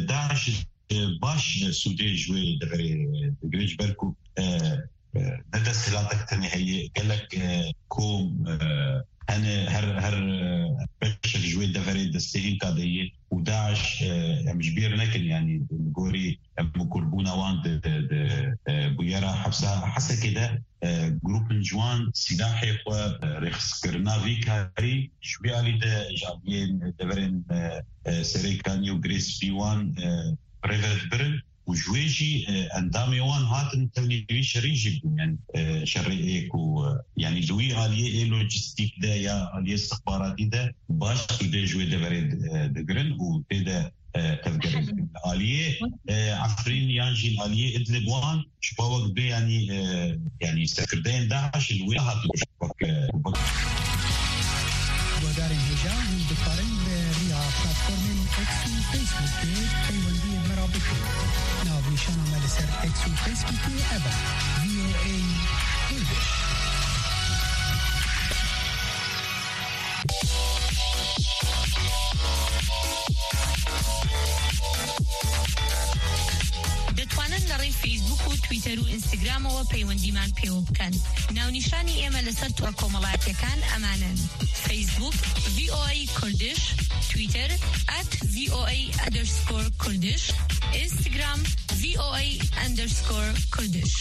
DAIŞ, e, baş, e, sûdê ji wê deverê, e, digire ji ber ku, e, e, ne desthilatek tenê heye, gelek, e, kom, e, hene her, her, e, beşek ji wê deverê destê hînka de ye û DAIŞ, e, em ji bîr nekin, yanî li gorî em û kurbûna wan di, di, di, e, bûyera hepsa Hesekê de, e, grûpên ji wan sîlahê xwe, e, rêxistkirina vî karî ji wî alî de ji aliyên deverên, e, e, Serêkanî û Girê Spî wan, e, rêve dibirin. Û ji wê jî, e, endamê wan hatin tevlî vî şerî jî bûn. Yanî, e, şerê ê ku, e, yanî li wî aliyê ê lojîstîk de ya aliyê istixbaratî de baş sûdê ji wê deverê, e, digirin û tê de, e, tevgerê dikin. Li aliyê, e, Efrîn yan jî li aliyê Idlib wan ji xwe wek bê yanî, e, yanî serkirdeyên DAIŞ li wê hatibû. Guhdarên hêja, hûn dikarin bi riya platformên X û Facebookê peywendiyên me re bikin. Navnîşana me li ser X û Facebookê ev e, V O A Kurdish. دەتوانن لە ڕێی فەیسبوک و تویتەر و ئینستاگرامەوە پەیوەندیمان پێوە بکەن. ناونیشانی ئێمە لەسەر تۆڕە کۆمەڵایەتیەکان ئەمانەن: فەیسبوک، V O A Kurdish، تویتەر، at V O A underscore Kurdish، ئینستاگرام، V O A underscore Kurdish.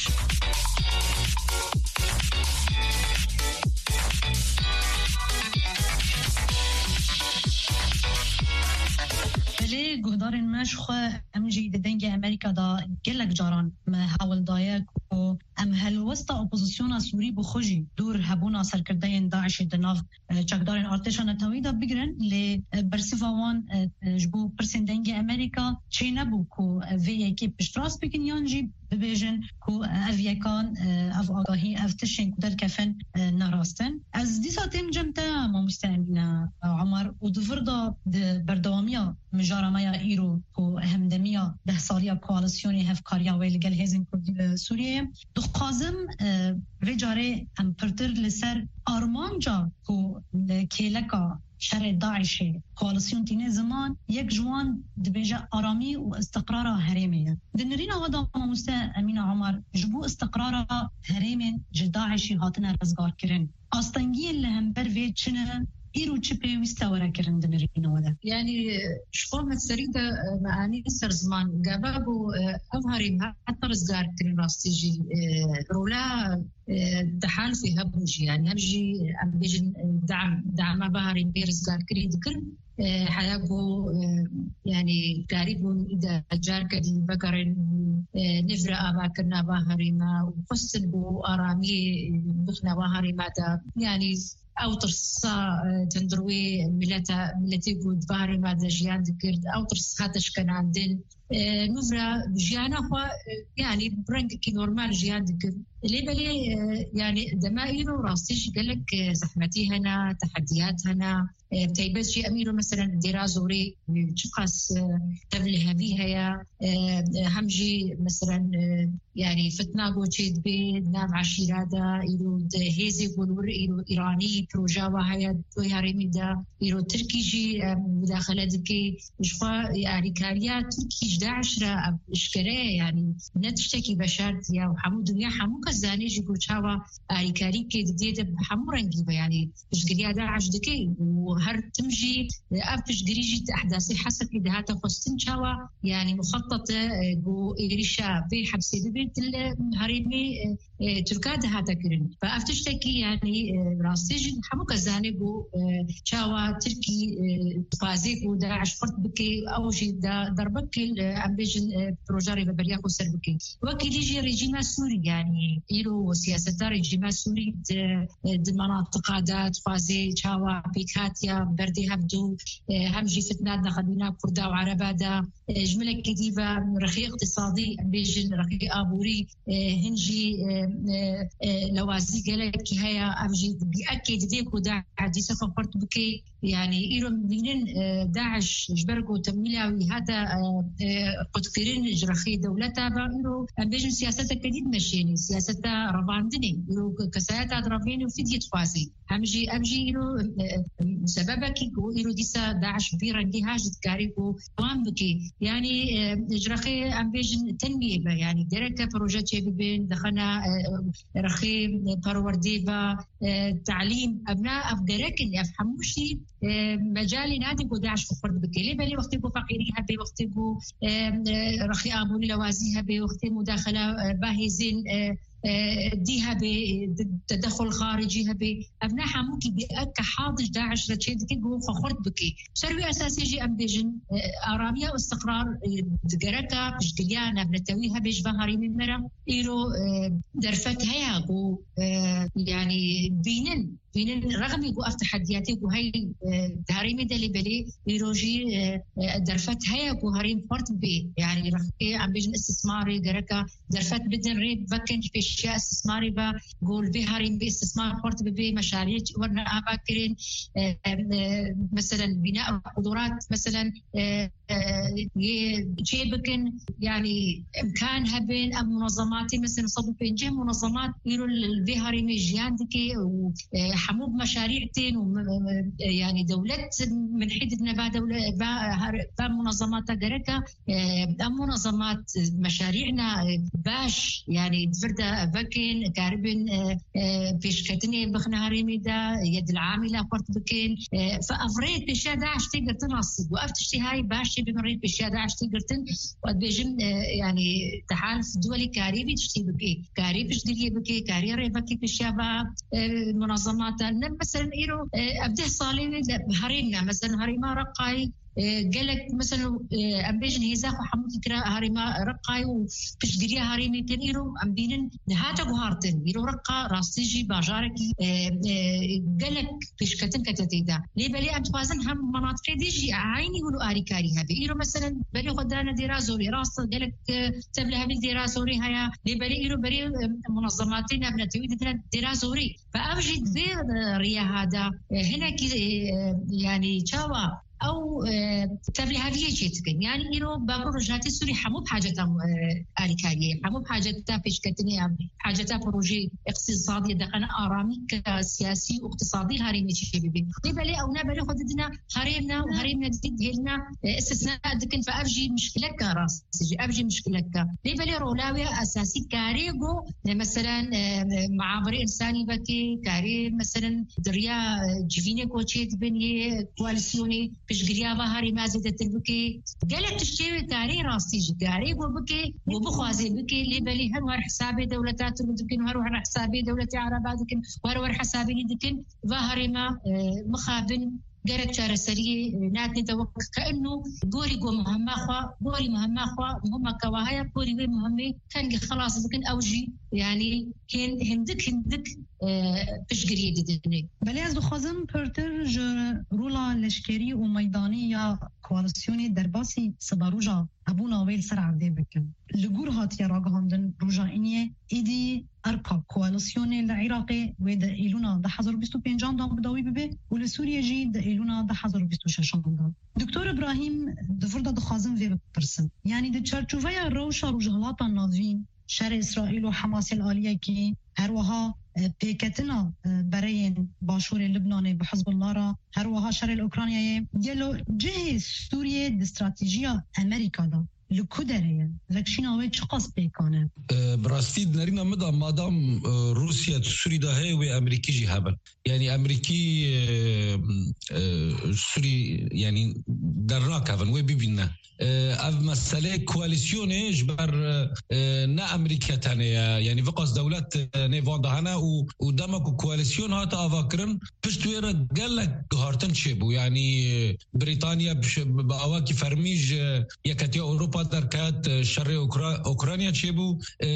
Belê, guhdarên me ji xwe, em jî di Dengê Amerîka de gelek caran me hewl daye ku em helwesta opozisyona Sûrî bi xwe jî dûr hebûna serkirdeyên DAIŞê di nav, e, çekdarên artêşa neteweyî de bigirin, lê, e, bersiva wan, e, e, ji bo pirsên Dengê Amerîka çênebû ku, e, vê yekê piştrast bikin yan jî bibêjin ku ev yekan, e, ev agahî, ev tiştên ku derkefin, e, ne rast in. Ez dîsa têm cem te, mamoste Emîne, e, Omar, û di vir de di berdewamiya mijara me ya îro ku hemdemiya deh saliya koalisyonê hevkariya wê li gel hêzên Kurdî li Sûriyeyê ye. Dixwazim, e, vê carê em pirtir li ser armanca ku li kêleka şerê DAIŞê koalisyon tîne ziman, yek ji wan dibêje aramî û istiqrara herêmê ye. Di nirîna we de mamoste Emîne Omar, ji bo istiqrara herêmên ji DAIŞê hatine rizgarkirin, astengiyên li hember vê çi ne? Îro çi pêwîst e were kirin di nirîna we de? Yanî, ji xwe me serî de, e, me anî ser ziman. Gava ku, e, ev herêm heta rizgarkirin rastî jî, e, rola, e, di halfê hebû jî, yanî hem jî em bêjin, e, dam, dama va herêmê rizgarkirî dikir, e, heya ku, e, yanî karîbûn îda carke dî vegerin, e, nivre avakirina va herêma û xwestin ku aramiyê, e, bixine va herêma de. Yanî ew tirsa, e, tendirwê mileta, miletê ku di va herêma de jiyan dikir, ew tirs hate şkenandin. E, nûvra jiyana xwe, e, yanî bi rengekî normal jiyan dikir. Lê belê, e, yanî dema îro rastî jî gelek, e, zehmetî hene, tehediyat hene. E, bi taybet jî em îro meselen dêra zorê, e, çiqas, e, tevlihevî heye, e, e, hem jî meselen, e, Yanî fitna ku çêdibe di nav eşîra de, îro di hêzê ku li wir îro îranî proja wa heye di wê herêmê de, îro tirkî jî, em, mudaxele dike. Ji xwe alîkariya tirkî ji DAIŞ re ev eşkere ye, yanî ne tiştekî veşartî ye û hemû dinya, hemû kes zanê jî ku çawa alîkarî ke didê de bi hemû rengî be, yanî piştgiriya DAIŞ dike û her tim jî, e, ev piştgirî jî di ehdasê Hesekê dihate xwestin, çawa, yanî muxettete, e, ku êrîşa vê hepsê bibe, di li herêmê, e, e, Tirka dihate kirin. Ve ev tiştekî, yanî, e, rastî jî hemû kes zanê ku, e, çawa Tirkî, e, dixwaze ku DAIŞ xurt bike, ew jî da derbek, e, em bêjin, e, proja rêveberiya xwe ser bike. Wekî dî jî rejîma Sûrî, yanî îro siyaseta rejîma Sûrî di, di menatiqa de dixwaze çawa pêkhatiya berdê hevdû, e, hem jî fitna di nexebîna Kurda û Ereba de, e, ji milekî dî ve rexê iqtisadî, em bêjin rexê aborî, e, hin jî, e, e, e, lewazî gelekî heye, ev jî bi ekê didê ku DAIŞ dîsa xwe xurt bike. Yanî îro em dibînin, e, DAIŞ ji ber ku temwîla wî hate, e, e, qutkirin ji rexê dewleta ve, îro em bêjin siyaseteke dî dimeşêne, siyaseta revandinê. Îro kesayeta direvêne û fidye dixwaze. Hem jî, ev jî îro, e, e, sebebekî ku îro dîsa DAIŞ bi vî rengî ha jî dikarî ku dewam bike. Yanî, e, ji rexê em bêjin tenmiyê ve, yanî gereke proje çêbibin, dixine, e, e, rexê, e, perwerdê ve, e, talîm, evna, ev gerek in, ev hemû jî, e, mecalê nade ku DAIŞ xwe xurt bike. Lê belê wextê ku feqîrî hebe, wextê ku, e, e, rexê aborî lewazî hebe, wextê mudaxela, e, ba hêzên, e, e, dî hebe, e, te-, tedexul xaricî hebe, evna hemû kî bi eke hadij DAIŞ re çêdike ku xwe xurt bike. Ser wî esasê jî em bêjin, e, aramiya û istiqrar, e, di gereka piştgiriya navnetewî hebe ji van herêmên me re. Îro, e, derfet heye ku, e, yanî bînin, bînin rexmî ku ev tehediyatê ku hey, e, di herêmê de lê belê, îro jî, e, e, derfet heye ku herêm xurt bê. Yanî rexê em bêjin istismarê gereka derfet bidin, rê vekin ji pêşiya istismarê ve, ku li vê herêmê istismar xurt bibe, meşariyê werine ava kirin, e, e, meselen bîna qudurat, meselen, e, e, yê çê bikin, yanî imkan hebin, em munazematê, meselen, sed û pêncî munazemat îro li vê herêmê jiyan dike û, e, hemû bi meşarî tên û, e, e, yanî dewlet minhî didine va dewle-, va her-, va munazemata gereka, e, em munazemat meşarî'na, e, baş, yanî di vir de vekin, karibin, e, e, pêşketinê bixine herêmê de, ya dil'amî la xurt bikin. E, fe ev rê pêşiya DAIŞ tê girtin rastî bû. Ev tiştê hay baş tê bibin rê pêşiya DAIŞ tê girtin. Û ez dibêjim, e, yanî di hal duwelî karê vî tiştê bike. Karê piştgiriyê bike, karê rêvekê pêşiya va, e, munazemata. Ne, meselen, îro, e, ev deh salê wê de herêm ne. Meselen, herêma Reqayê, e, gelek, mesela, e, em bêjin hêza xwe hemû dikira herêma Reqayê û piştgiriya herêmê kirin. Îro em bînin nihate guhartin. Îro Reqa rastî jî bajarekî, e, e, gelek pêşketin kete tê de. Lê belê em dixwazin hem menatiqê dî jî eynî wilo arîkarî hebe. Îro, meselen, belê xwe dane Dêra Zorê. Rast e, gelek, e, tevlihevî Dêra Zorê heye. Lê belê îro berê, e, munazematê navnetewî didine Dêra Zorê. Ve ev jî di vê, e, riya hada, e, hinekî, e, e, yanî çawa ew, e, tevliheviyê çê dikin. Yanî îro Bakur Rojhatê Sûrî hemû bi haceta, e, alîkariyê, hemû bi haceta pêşketinê, em haceta projeyê iqtîsadiyê diqene aramî ke siyasî û iqtîsadî herêmê çê bibe. Lê belê ew ne berê xwe didine herêmna û herêmna dî dihêlina, e, istisna dikin ve ev jî mişkileke rastî jî, ev jî mişkileke. Lê belê rola wê esasî karê ku, e, meselen, e, muhabirê însanî vekê, karê meselen di riya, e, civînê ku çê dibin yê koalîsyonê, piştgiriya va herêma zêdetir bike. Gelek tiştê wê karê rastî jî karê ku bike, ku bixwaze bike, lê belê her wer hesabê dewleta Tirk dikin, her wer hesabê dewletê Ereba dikin, wer wer hesabê dikin. Va herêma, e, mixabin gerek çareseriyê, e, nadine de wek ke ino gorî ku muhimma xwe, gorî muhimma xwe, muhimma ke wa heye, gorî wê muhimmê kengî xelas bikin, ew jî, yanî, hên-, hindik, hindik, e, piştgiriyê didinê. Belê ez dixwazim pirtir ji rola leşkerî û meydanî ya koalîsyonê derbasî siberoja hebûna wê li ser erdê bikim. Li gor hatiye ragihandin roja îniyê, êdî erka koalîsyonê li Iraqê wê di Îlûna du hezar û bîst û pêncan de bi dawî bibe û li Sûriyê jî di Îlûna du hezar û bîst û şeşan de. Doktor Îbrahîm, di vir de dixwazim vê bipirsim. Yanî di çarçoveya rewşa Rojhilata Navîn, şerê Îsraîl û Hamasê li aliyekî, her wiha, e, pêketina, e, bereyên başûrê Libnanê bi Hizbullah re, her wiha şerê li Ukraynayê. Gelo cihê Sûriyê di stratejiya Amerîka de li ku derê ye? Vekşîna wê çiqas pêkan e? E, bi rastî di nerîna min de madam, e, Rûsya di Sûrî de heye wê Amerîkî jî hebin. Yanî Amerîkî, e, e, Sûrî, yanî dernakevin, wê bibîne. E, ev meselê koalîsyonê ji ber, e, ne Amerîka tenê ye. Yanî viqas dewlet, e, nêvan de hene û, û dema ku koalîsyon hate avakirin, pişt wê re gelek guhartin çêbû. Yanî, e, Brîtanya bi şe-, bi awakî fermî ji Yeketiya Ewropa derket, e, şerê Ukra-, Ukrayna çêbû. E, e,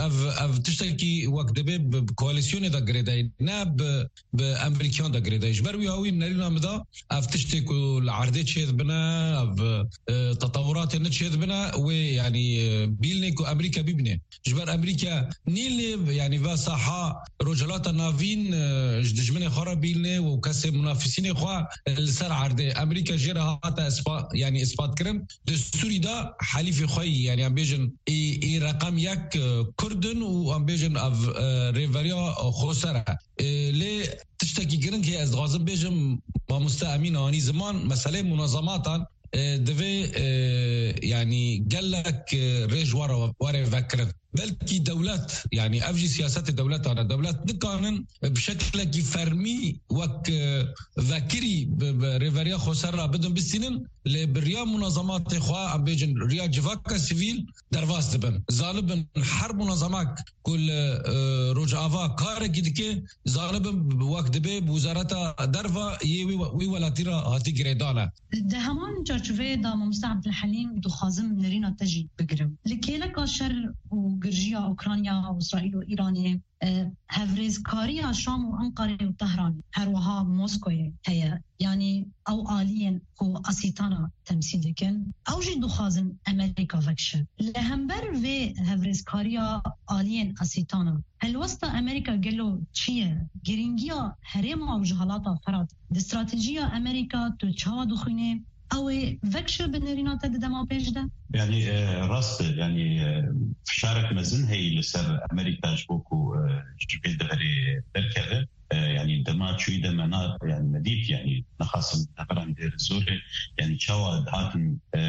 ev, ev tiştekî wek dibê bi, bi koalîsyonê de girêdayî, ne bi, bi Amerîkiyan de girêdayî. Ji ber wî hawî nerîna min de ev tiştê ku li erdê çêdibine, ev, e, tetewuratê ne çêdibine, wê, yanî, e, bîlnê ku Amerîka bibîne. Ji ber Amerîka nîlê, yanî ve saha Rojhilata Navîn, e, ji dijminê xwe re bîlnê û kesê munafisînê xwe, e, li ser erdê. Amerîka jê re hate ispa-, yanî ispat kirin. Di Sûrî de helîfê xwe yî, yanî em bêjin, ê, ê reqem yek, e, Kurd in û em bêjin ev, e, rêveriya xweser e. E, lê tiştekî giring heye, ez dixwazim bêjim, mamoste Emîn anî ziman, meseleyê munezematan, e, divê, e, yanî gelek, e, rê ji we re, we re vekirin. Belkî dewlet, yanî ev jî siyasetê dewletan e. Dewlet nikanin, e, bi şeklekî fermî wek, e, vekirî bi, bi rêveriya xweser re bidin bistînin, lê bi riya munazematê xwe, em bêjin riya civaka sivîl derbas dibin. Zanibin her munazemak ku li, e, Rojava karekî dike, zanibin wek dibê bi wezareta derva yê wî, wî welatî re hatî girêdane. Di heman çarçoveyê de, mamoste Abdulhelîm, dixwazim nerîna te jî bigirim. Li kêleka şer û girjiya Ukrayna û Îsraîl û Îranê, e, hevrêzkariya Şam û Enqerê û Tehran, her wiha Moskoyê heye. Yanî ew aliyên ku Asîtana temsîl dikin, ew jî dixwazin Amerîka vekişe. Li hember vê hevrêzkariya aliyên Asîtana, helwesta Amerîka gelo çi ye? Girîngiya herêma Rojhilata Firat di stratejiya Amerîka tu çawa dixwînî? Ew ê vekişe bi nerîna te di dema pêş de? Yanî, e, rast e. Yanî, e, fişarek mezin heyî li ser Amerîka ji bo ku, e, ji vê deverê derkeve. E, yanî dema çûyî de me na, yanî me dît, yanî nexasim heveran dêr zorê, yanî çawa dihatin, e,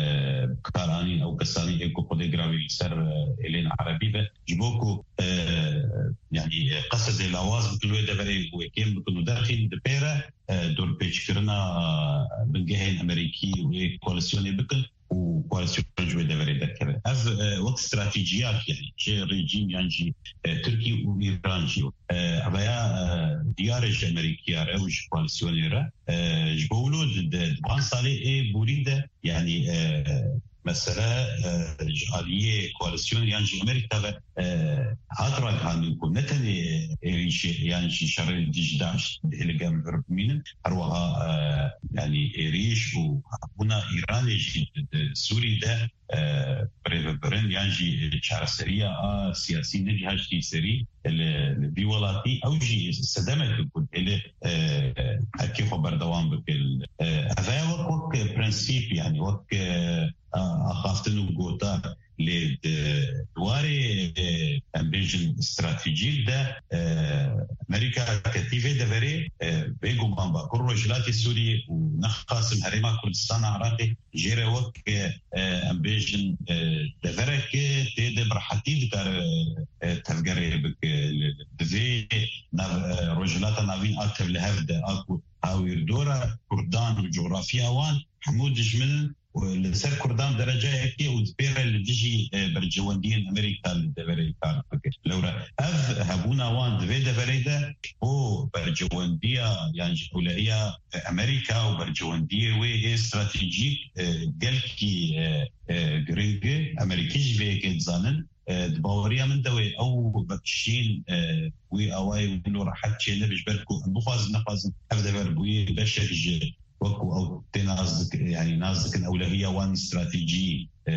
bikaranîn ew kesanî ê ku xwedê giravî li ser, e, êlên erebî be, ji bo ku, e, yanî, e, qesed ê lawaz bikin wê deverê û ê kêm bikin û derxîn di pê re, e, dorpêçkirina, e, bingehên Amerîkî û ê koalîsyonê bikin û koalîsyon ji wê deverê derkeve. Ev, e, wek stratejiyak, yanî ji rejîm yan jî, e, Tirkî û Îran jî, e, ev ya, e, diyar e ji Amerîkiya re û ji koalîsyonê re. E, ji bo wilo di, di, di van salê ê borî de, yanî, e, mesele, e, ji aliyê koalîsyon yan jî Amerîka ve, e, hat ragihandin ku ne tenê êrîşê yan jî şerê li dijî DAIŞ dihê li gel vir bimînin. Her wiha, e, yanî êrîş û hebûna Îranê jî di, di Sûrî de, e, birêvebirin yan jî çareseriya a siyasî negihaştî serî li, li vî welatî, ew jî sedemek e ku dihê li, e, erkê xwe berdewam bike. E, ev heye wek, wek prensîp, yanî wek, e, a-, axaftin û gotar. Lê di warê, e, em bêjin stratejîk de, e, Amerîka ketî vê deverê, e, bêguman Bakur Rojhilatê Sûriyê û nexasim Herêma Kurdistana Iraqê jê re wek, e, em bêjin, e, deverek tê de bi rehetî dikare, e, tevgerê bike. Li, li, di vê nav-, e, Rojhilata Navîn a tevlihev de, a ku hawîrdora Kurdan û coxrafiya wan hemû dijmin û li ser Kurdan derecayekê û di pê re li dijî, e, berjewendiyên Amerîka li deverê kar dike. Lewra ev hebûna wan di vê deverê de ji bo berjewendiya yan jî ewlehiya, e, Amerîka û berjewendiyê wê ê stratejîk, e, gelkî, e, e, giring e. Amerîkî jî vê yekê dizanin. E, di baweriya min de wê ew vekişîn, e, wî awayê wilo rehet çênebe, ji ber ku em bixwazin nexwazin ev dever bûyî beşek ji wekî ew tê nas dik-, yanî nas dikin ewlehiya wan stratejî, e,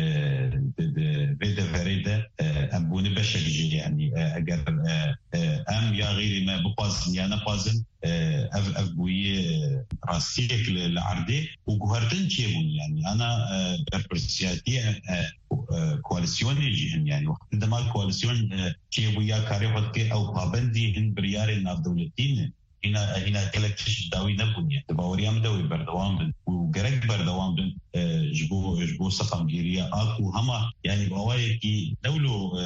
di, di vê deverê de, e, em bûne beşek jê, yanî, e, eger, e, e, em ya xeyrî me bixwazin ya nexwazin, e, ev, ev bûyî, e, rastiyek li, li erdê û guhertin çêbûn, yani ana, e, berpirsiyatiyê, e, e, koalisyonê jî him, yani wextê dema koalisyon, e, çêbû ya karê xwe dike ew pabendî hin biryarên navdewletî ne. Hîna, hîna gelek tişt dawî nebûn, yani di baweriya min de wê berdewam bin û gerek berdewam bin, e, ji bo, ji bo seqamgiriya a ku hema, yani bi awayekî ne wilo, e,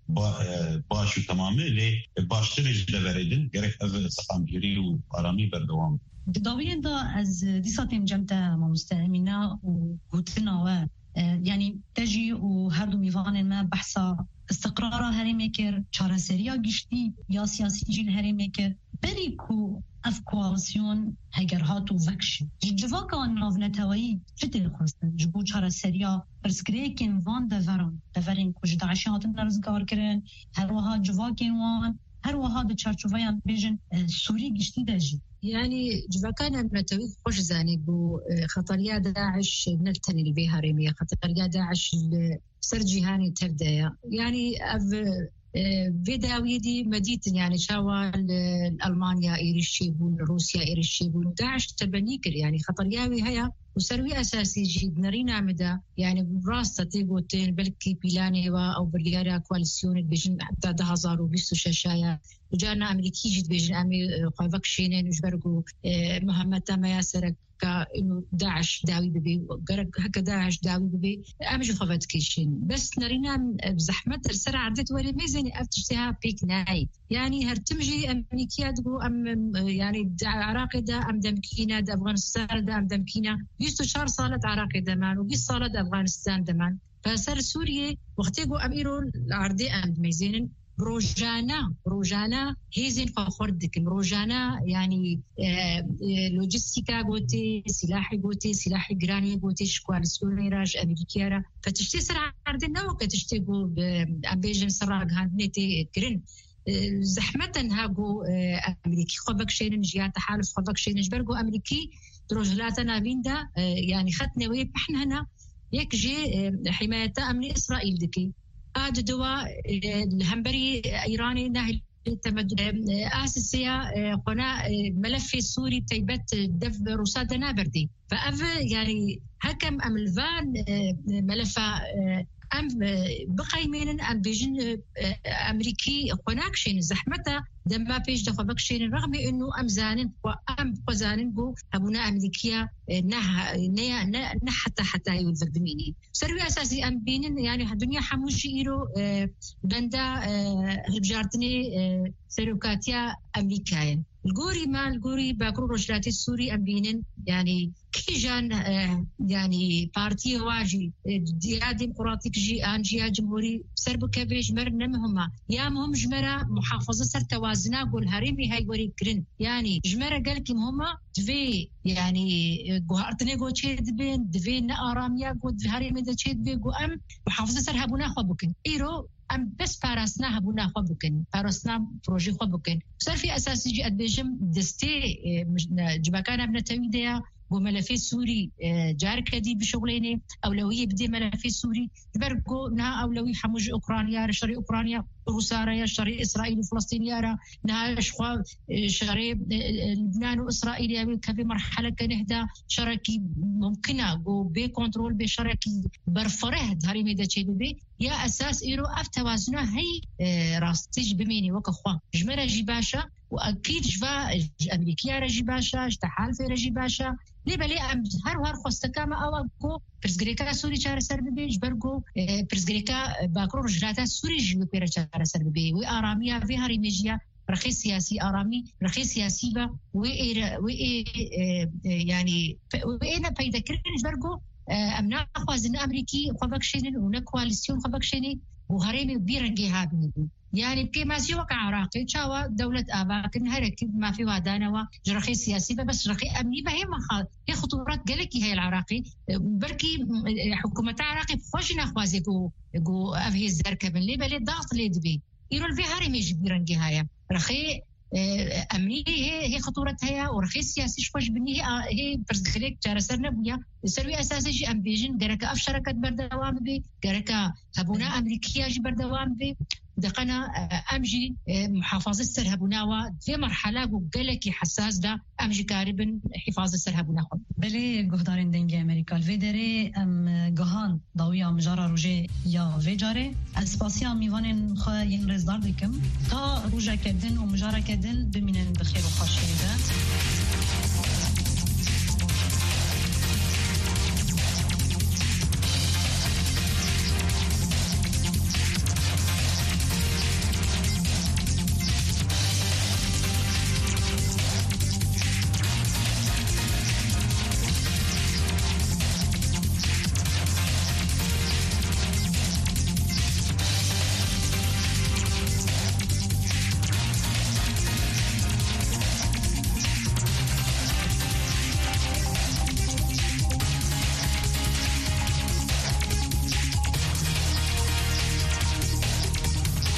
ba-, e, baş û temam e, lê baştir e ji deverê din, gerek ev seqamgirî û aramî berdewam bin. Di dawiyên de ez dîsa têm cem te, mamoste Emîne, û gotina we, e, yanî te jî û her du mîvanên me behsa istiqrara herêmê kir, çareseriya giştî ya siyasî jî li herêmê kir. Berî ku ev koalisyon heger hat û vekişî, ji civaka navneteweyî çi tê xwestin ji bo çareseriya pirsgirêkên van deveran, deverên ku ji DAIŞê hatine rizgarkirin, her wiha civakên wan, her wiha di çarçoveya, bêjin, e, Sûrî giştî de jî? Yanî civaka navnetewî xweş zanî ku, e, xetariya DAIŞ ne tenê li vê herêmê ye, xetariya DAIŞ li ser cîhanê tev de ye. Yanî ev, e, vê dawiyê dî me dîtin, yanî çawa li Almanya êrîş çêbûn, li Rûsya êrîş çêbûn. DAIŞ tebenî kir, yanî xetariya wî heye û ser wî esasî jî di nerîna min de, yanî rast e tê gotin, belkî pîlanê wa ew biryara koalîsyonê dibêjin heta du hezar û bîst û şeş ya. Û carna Amerîkî jî dibêjin em ê, e, xwe vekişênin ji ber ku, e, muhemeta me ya serek ka û DAIŞ dawî bibe, gerek heke DAIŞ dawî bibe, em ji xwe vedikêşin. Bes nerîna em, e, zehmet li ser erdê tu werê mêzênê ev tiştê ha pêk nayê. Yanî her tim jî Amerîkiya digo em, em, e, yanî di Iraqê de em demkî ne, di Efganistanê de em demkî ne. Bîst û çar sal e di Iraqê de man û bîst sal e di Efganistan de man. Li ser Sûriyê wextê ku em îro li erdê em dimêzênin, rojane, rojane hêzên xwe xurt dikin. Rojane, yanî, e, e, lojîstîka gotê, sîlahê gotê, sîlahê giranê gotê ji koalîsyonê re, ji Amerîkaya re. Fe tiştê ser erdê ne weke tiştê ku, e, em bêjin ser ragihandinê tê kirin. E, zehmet e niha ku, e, Amerîkî xwe vekişênin, ji ya tehaluf xwe vekişênin. Ji ber ku Amerîkî di Rojhilata Navîn de, e, yanî xetnê wê pehn hene. Yek jî, e, hîmayeta emnî Îsraîl dike. A di dua, e, li hemberî Îranê nahilê temedû, e, a sisiya, e, xwena, e, melefê Sûrî teybet, e, dev Rûsa de naberdî. Ve ev, yanî, hekem em li van, e, melefa, e, em, e, biqeymênin, em bêjin, e, e, Amerîkî xwe nakişênin, zehmet e, dema pêş de xwe vekişênin, rexmê inu em zanin, xwe em xwe zanin ku hebûna Amerîkiya, e, ne ha-, ne ya, ne, ne heta hetayê wê vir bimînî. Ser wî esasî em bînin, yanî, dinya hemû jî îro, e, benda, e, hilbijartinê, e, serokatiya Amerîkayê. Li gorî me, li gorî Bakur û Rojhilatê Sûrî em bînin, yanî kîjan, e, yanî partiyê wa jî, e, ya demokratîk jî, an jî ya cumhurî ser bikeve ji me re ne muhim e. Ya muhim ji me re muhafaza ser tewazina ku li herêmê heye were kirin. Yanî ji me re gelkî muhim e, divê, yanî, e, guhartinê ku çê dibe, divê ne aramiya ku di herêmê de çê dibe, ku em muhafaza ser hebûna xwe bikin. Îro em bes parastina hebûna xwe bikin, parastina projê xwe bikin. Ser vê esasî jî ez dibêjim destê, e, mij-, ne, civaka navnetewî de ya, ku melefê Sûrî, e, careke dî bişuxulêne, ewlewiyê bidê melefê Sûrî. Ji ber ku niha ewlewî hemû ji Ukrayna re, şerê Ukrayna Rûsa re ya, şerê Îsraîl û Filistîniya re, niha ji xwe, e, şerê, e, e, Libnan û Îsraîl ya wê kevê merheleke neh de şerekî mumkin e, ku bê kontrol bê, şerekî berfireh di herêmê de çêbibe. Ya esas îro ev tewazuna hey, e, rastî jî bimînî weke xwe. Ji me re jî baş e û ekîd ji va, ji Amerîkiya re jî baş e, ji tehalifê re jî baş e. Lê belê em her her xwesteka me ew e ku pirsgirêka Sûrî çareser bibe, ji ber ku, e, pirsgirêka, e, Bakur û Rojhilata Sûrî jî wê pê re çareser bibe. Wê aramiya vê herêmê jî ya rexê siyasî, aramî rexê siyasî be, wê ê re, wê ê, e, e, yanî, pe-, wê ê ne peyde kirin, ji ber ku, e, em naxwazin Amerîkî xwe vekişênin û ne koalîsyon xwe vekişênê, ku herêmê bi vî rengê ha bîne. Yanî, bi kêmasî weke Iraqê, çawa dewlet ava kirin, herekî bi mafê wa dane wa, ji rexê siyasî be, bes ji rexê emnî be, hê mexa-, hê xitûret gelekî heye li Iraqê. E, belkî, e, hikûmeta Iraqê bi xwe jî naxwaze ku, ku ev hêz derkevin, lê belê daxt lê dibe. Îro li vê herêmê jî bi vî rengê heye. Rexê, e, emnî hê, hê xitûret heye û rexê siyasî ji xwe ji binî hê, a, hê pirsgirêk çareser nebûye. Li ser wî esasê jî em bêjin gereke ev şereket berdewam bibe, gereke hebûna Amerîkiya jî berdewam bê. Deqena, e, em jî, e, muhafaze ser hebûna wa vê merhela ku gelekî hesas de em jî karibin hifazet ser hebûna xwe. Belê, guhdarên Dengê Amerîka, li vê derê em, e, gihan dawiya mijara rojê ya vê carê. Ez spasiya mîvanên xwe yên rêzdar dikim. Ta rojeke din û mijareke din bimînin bi xêr û xweşiyê de.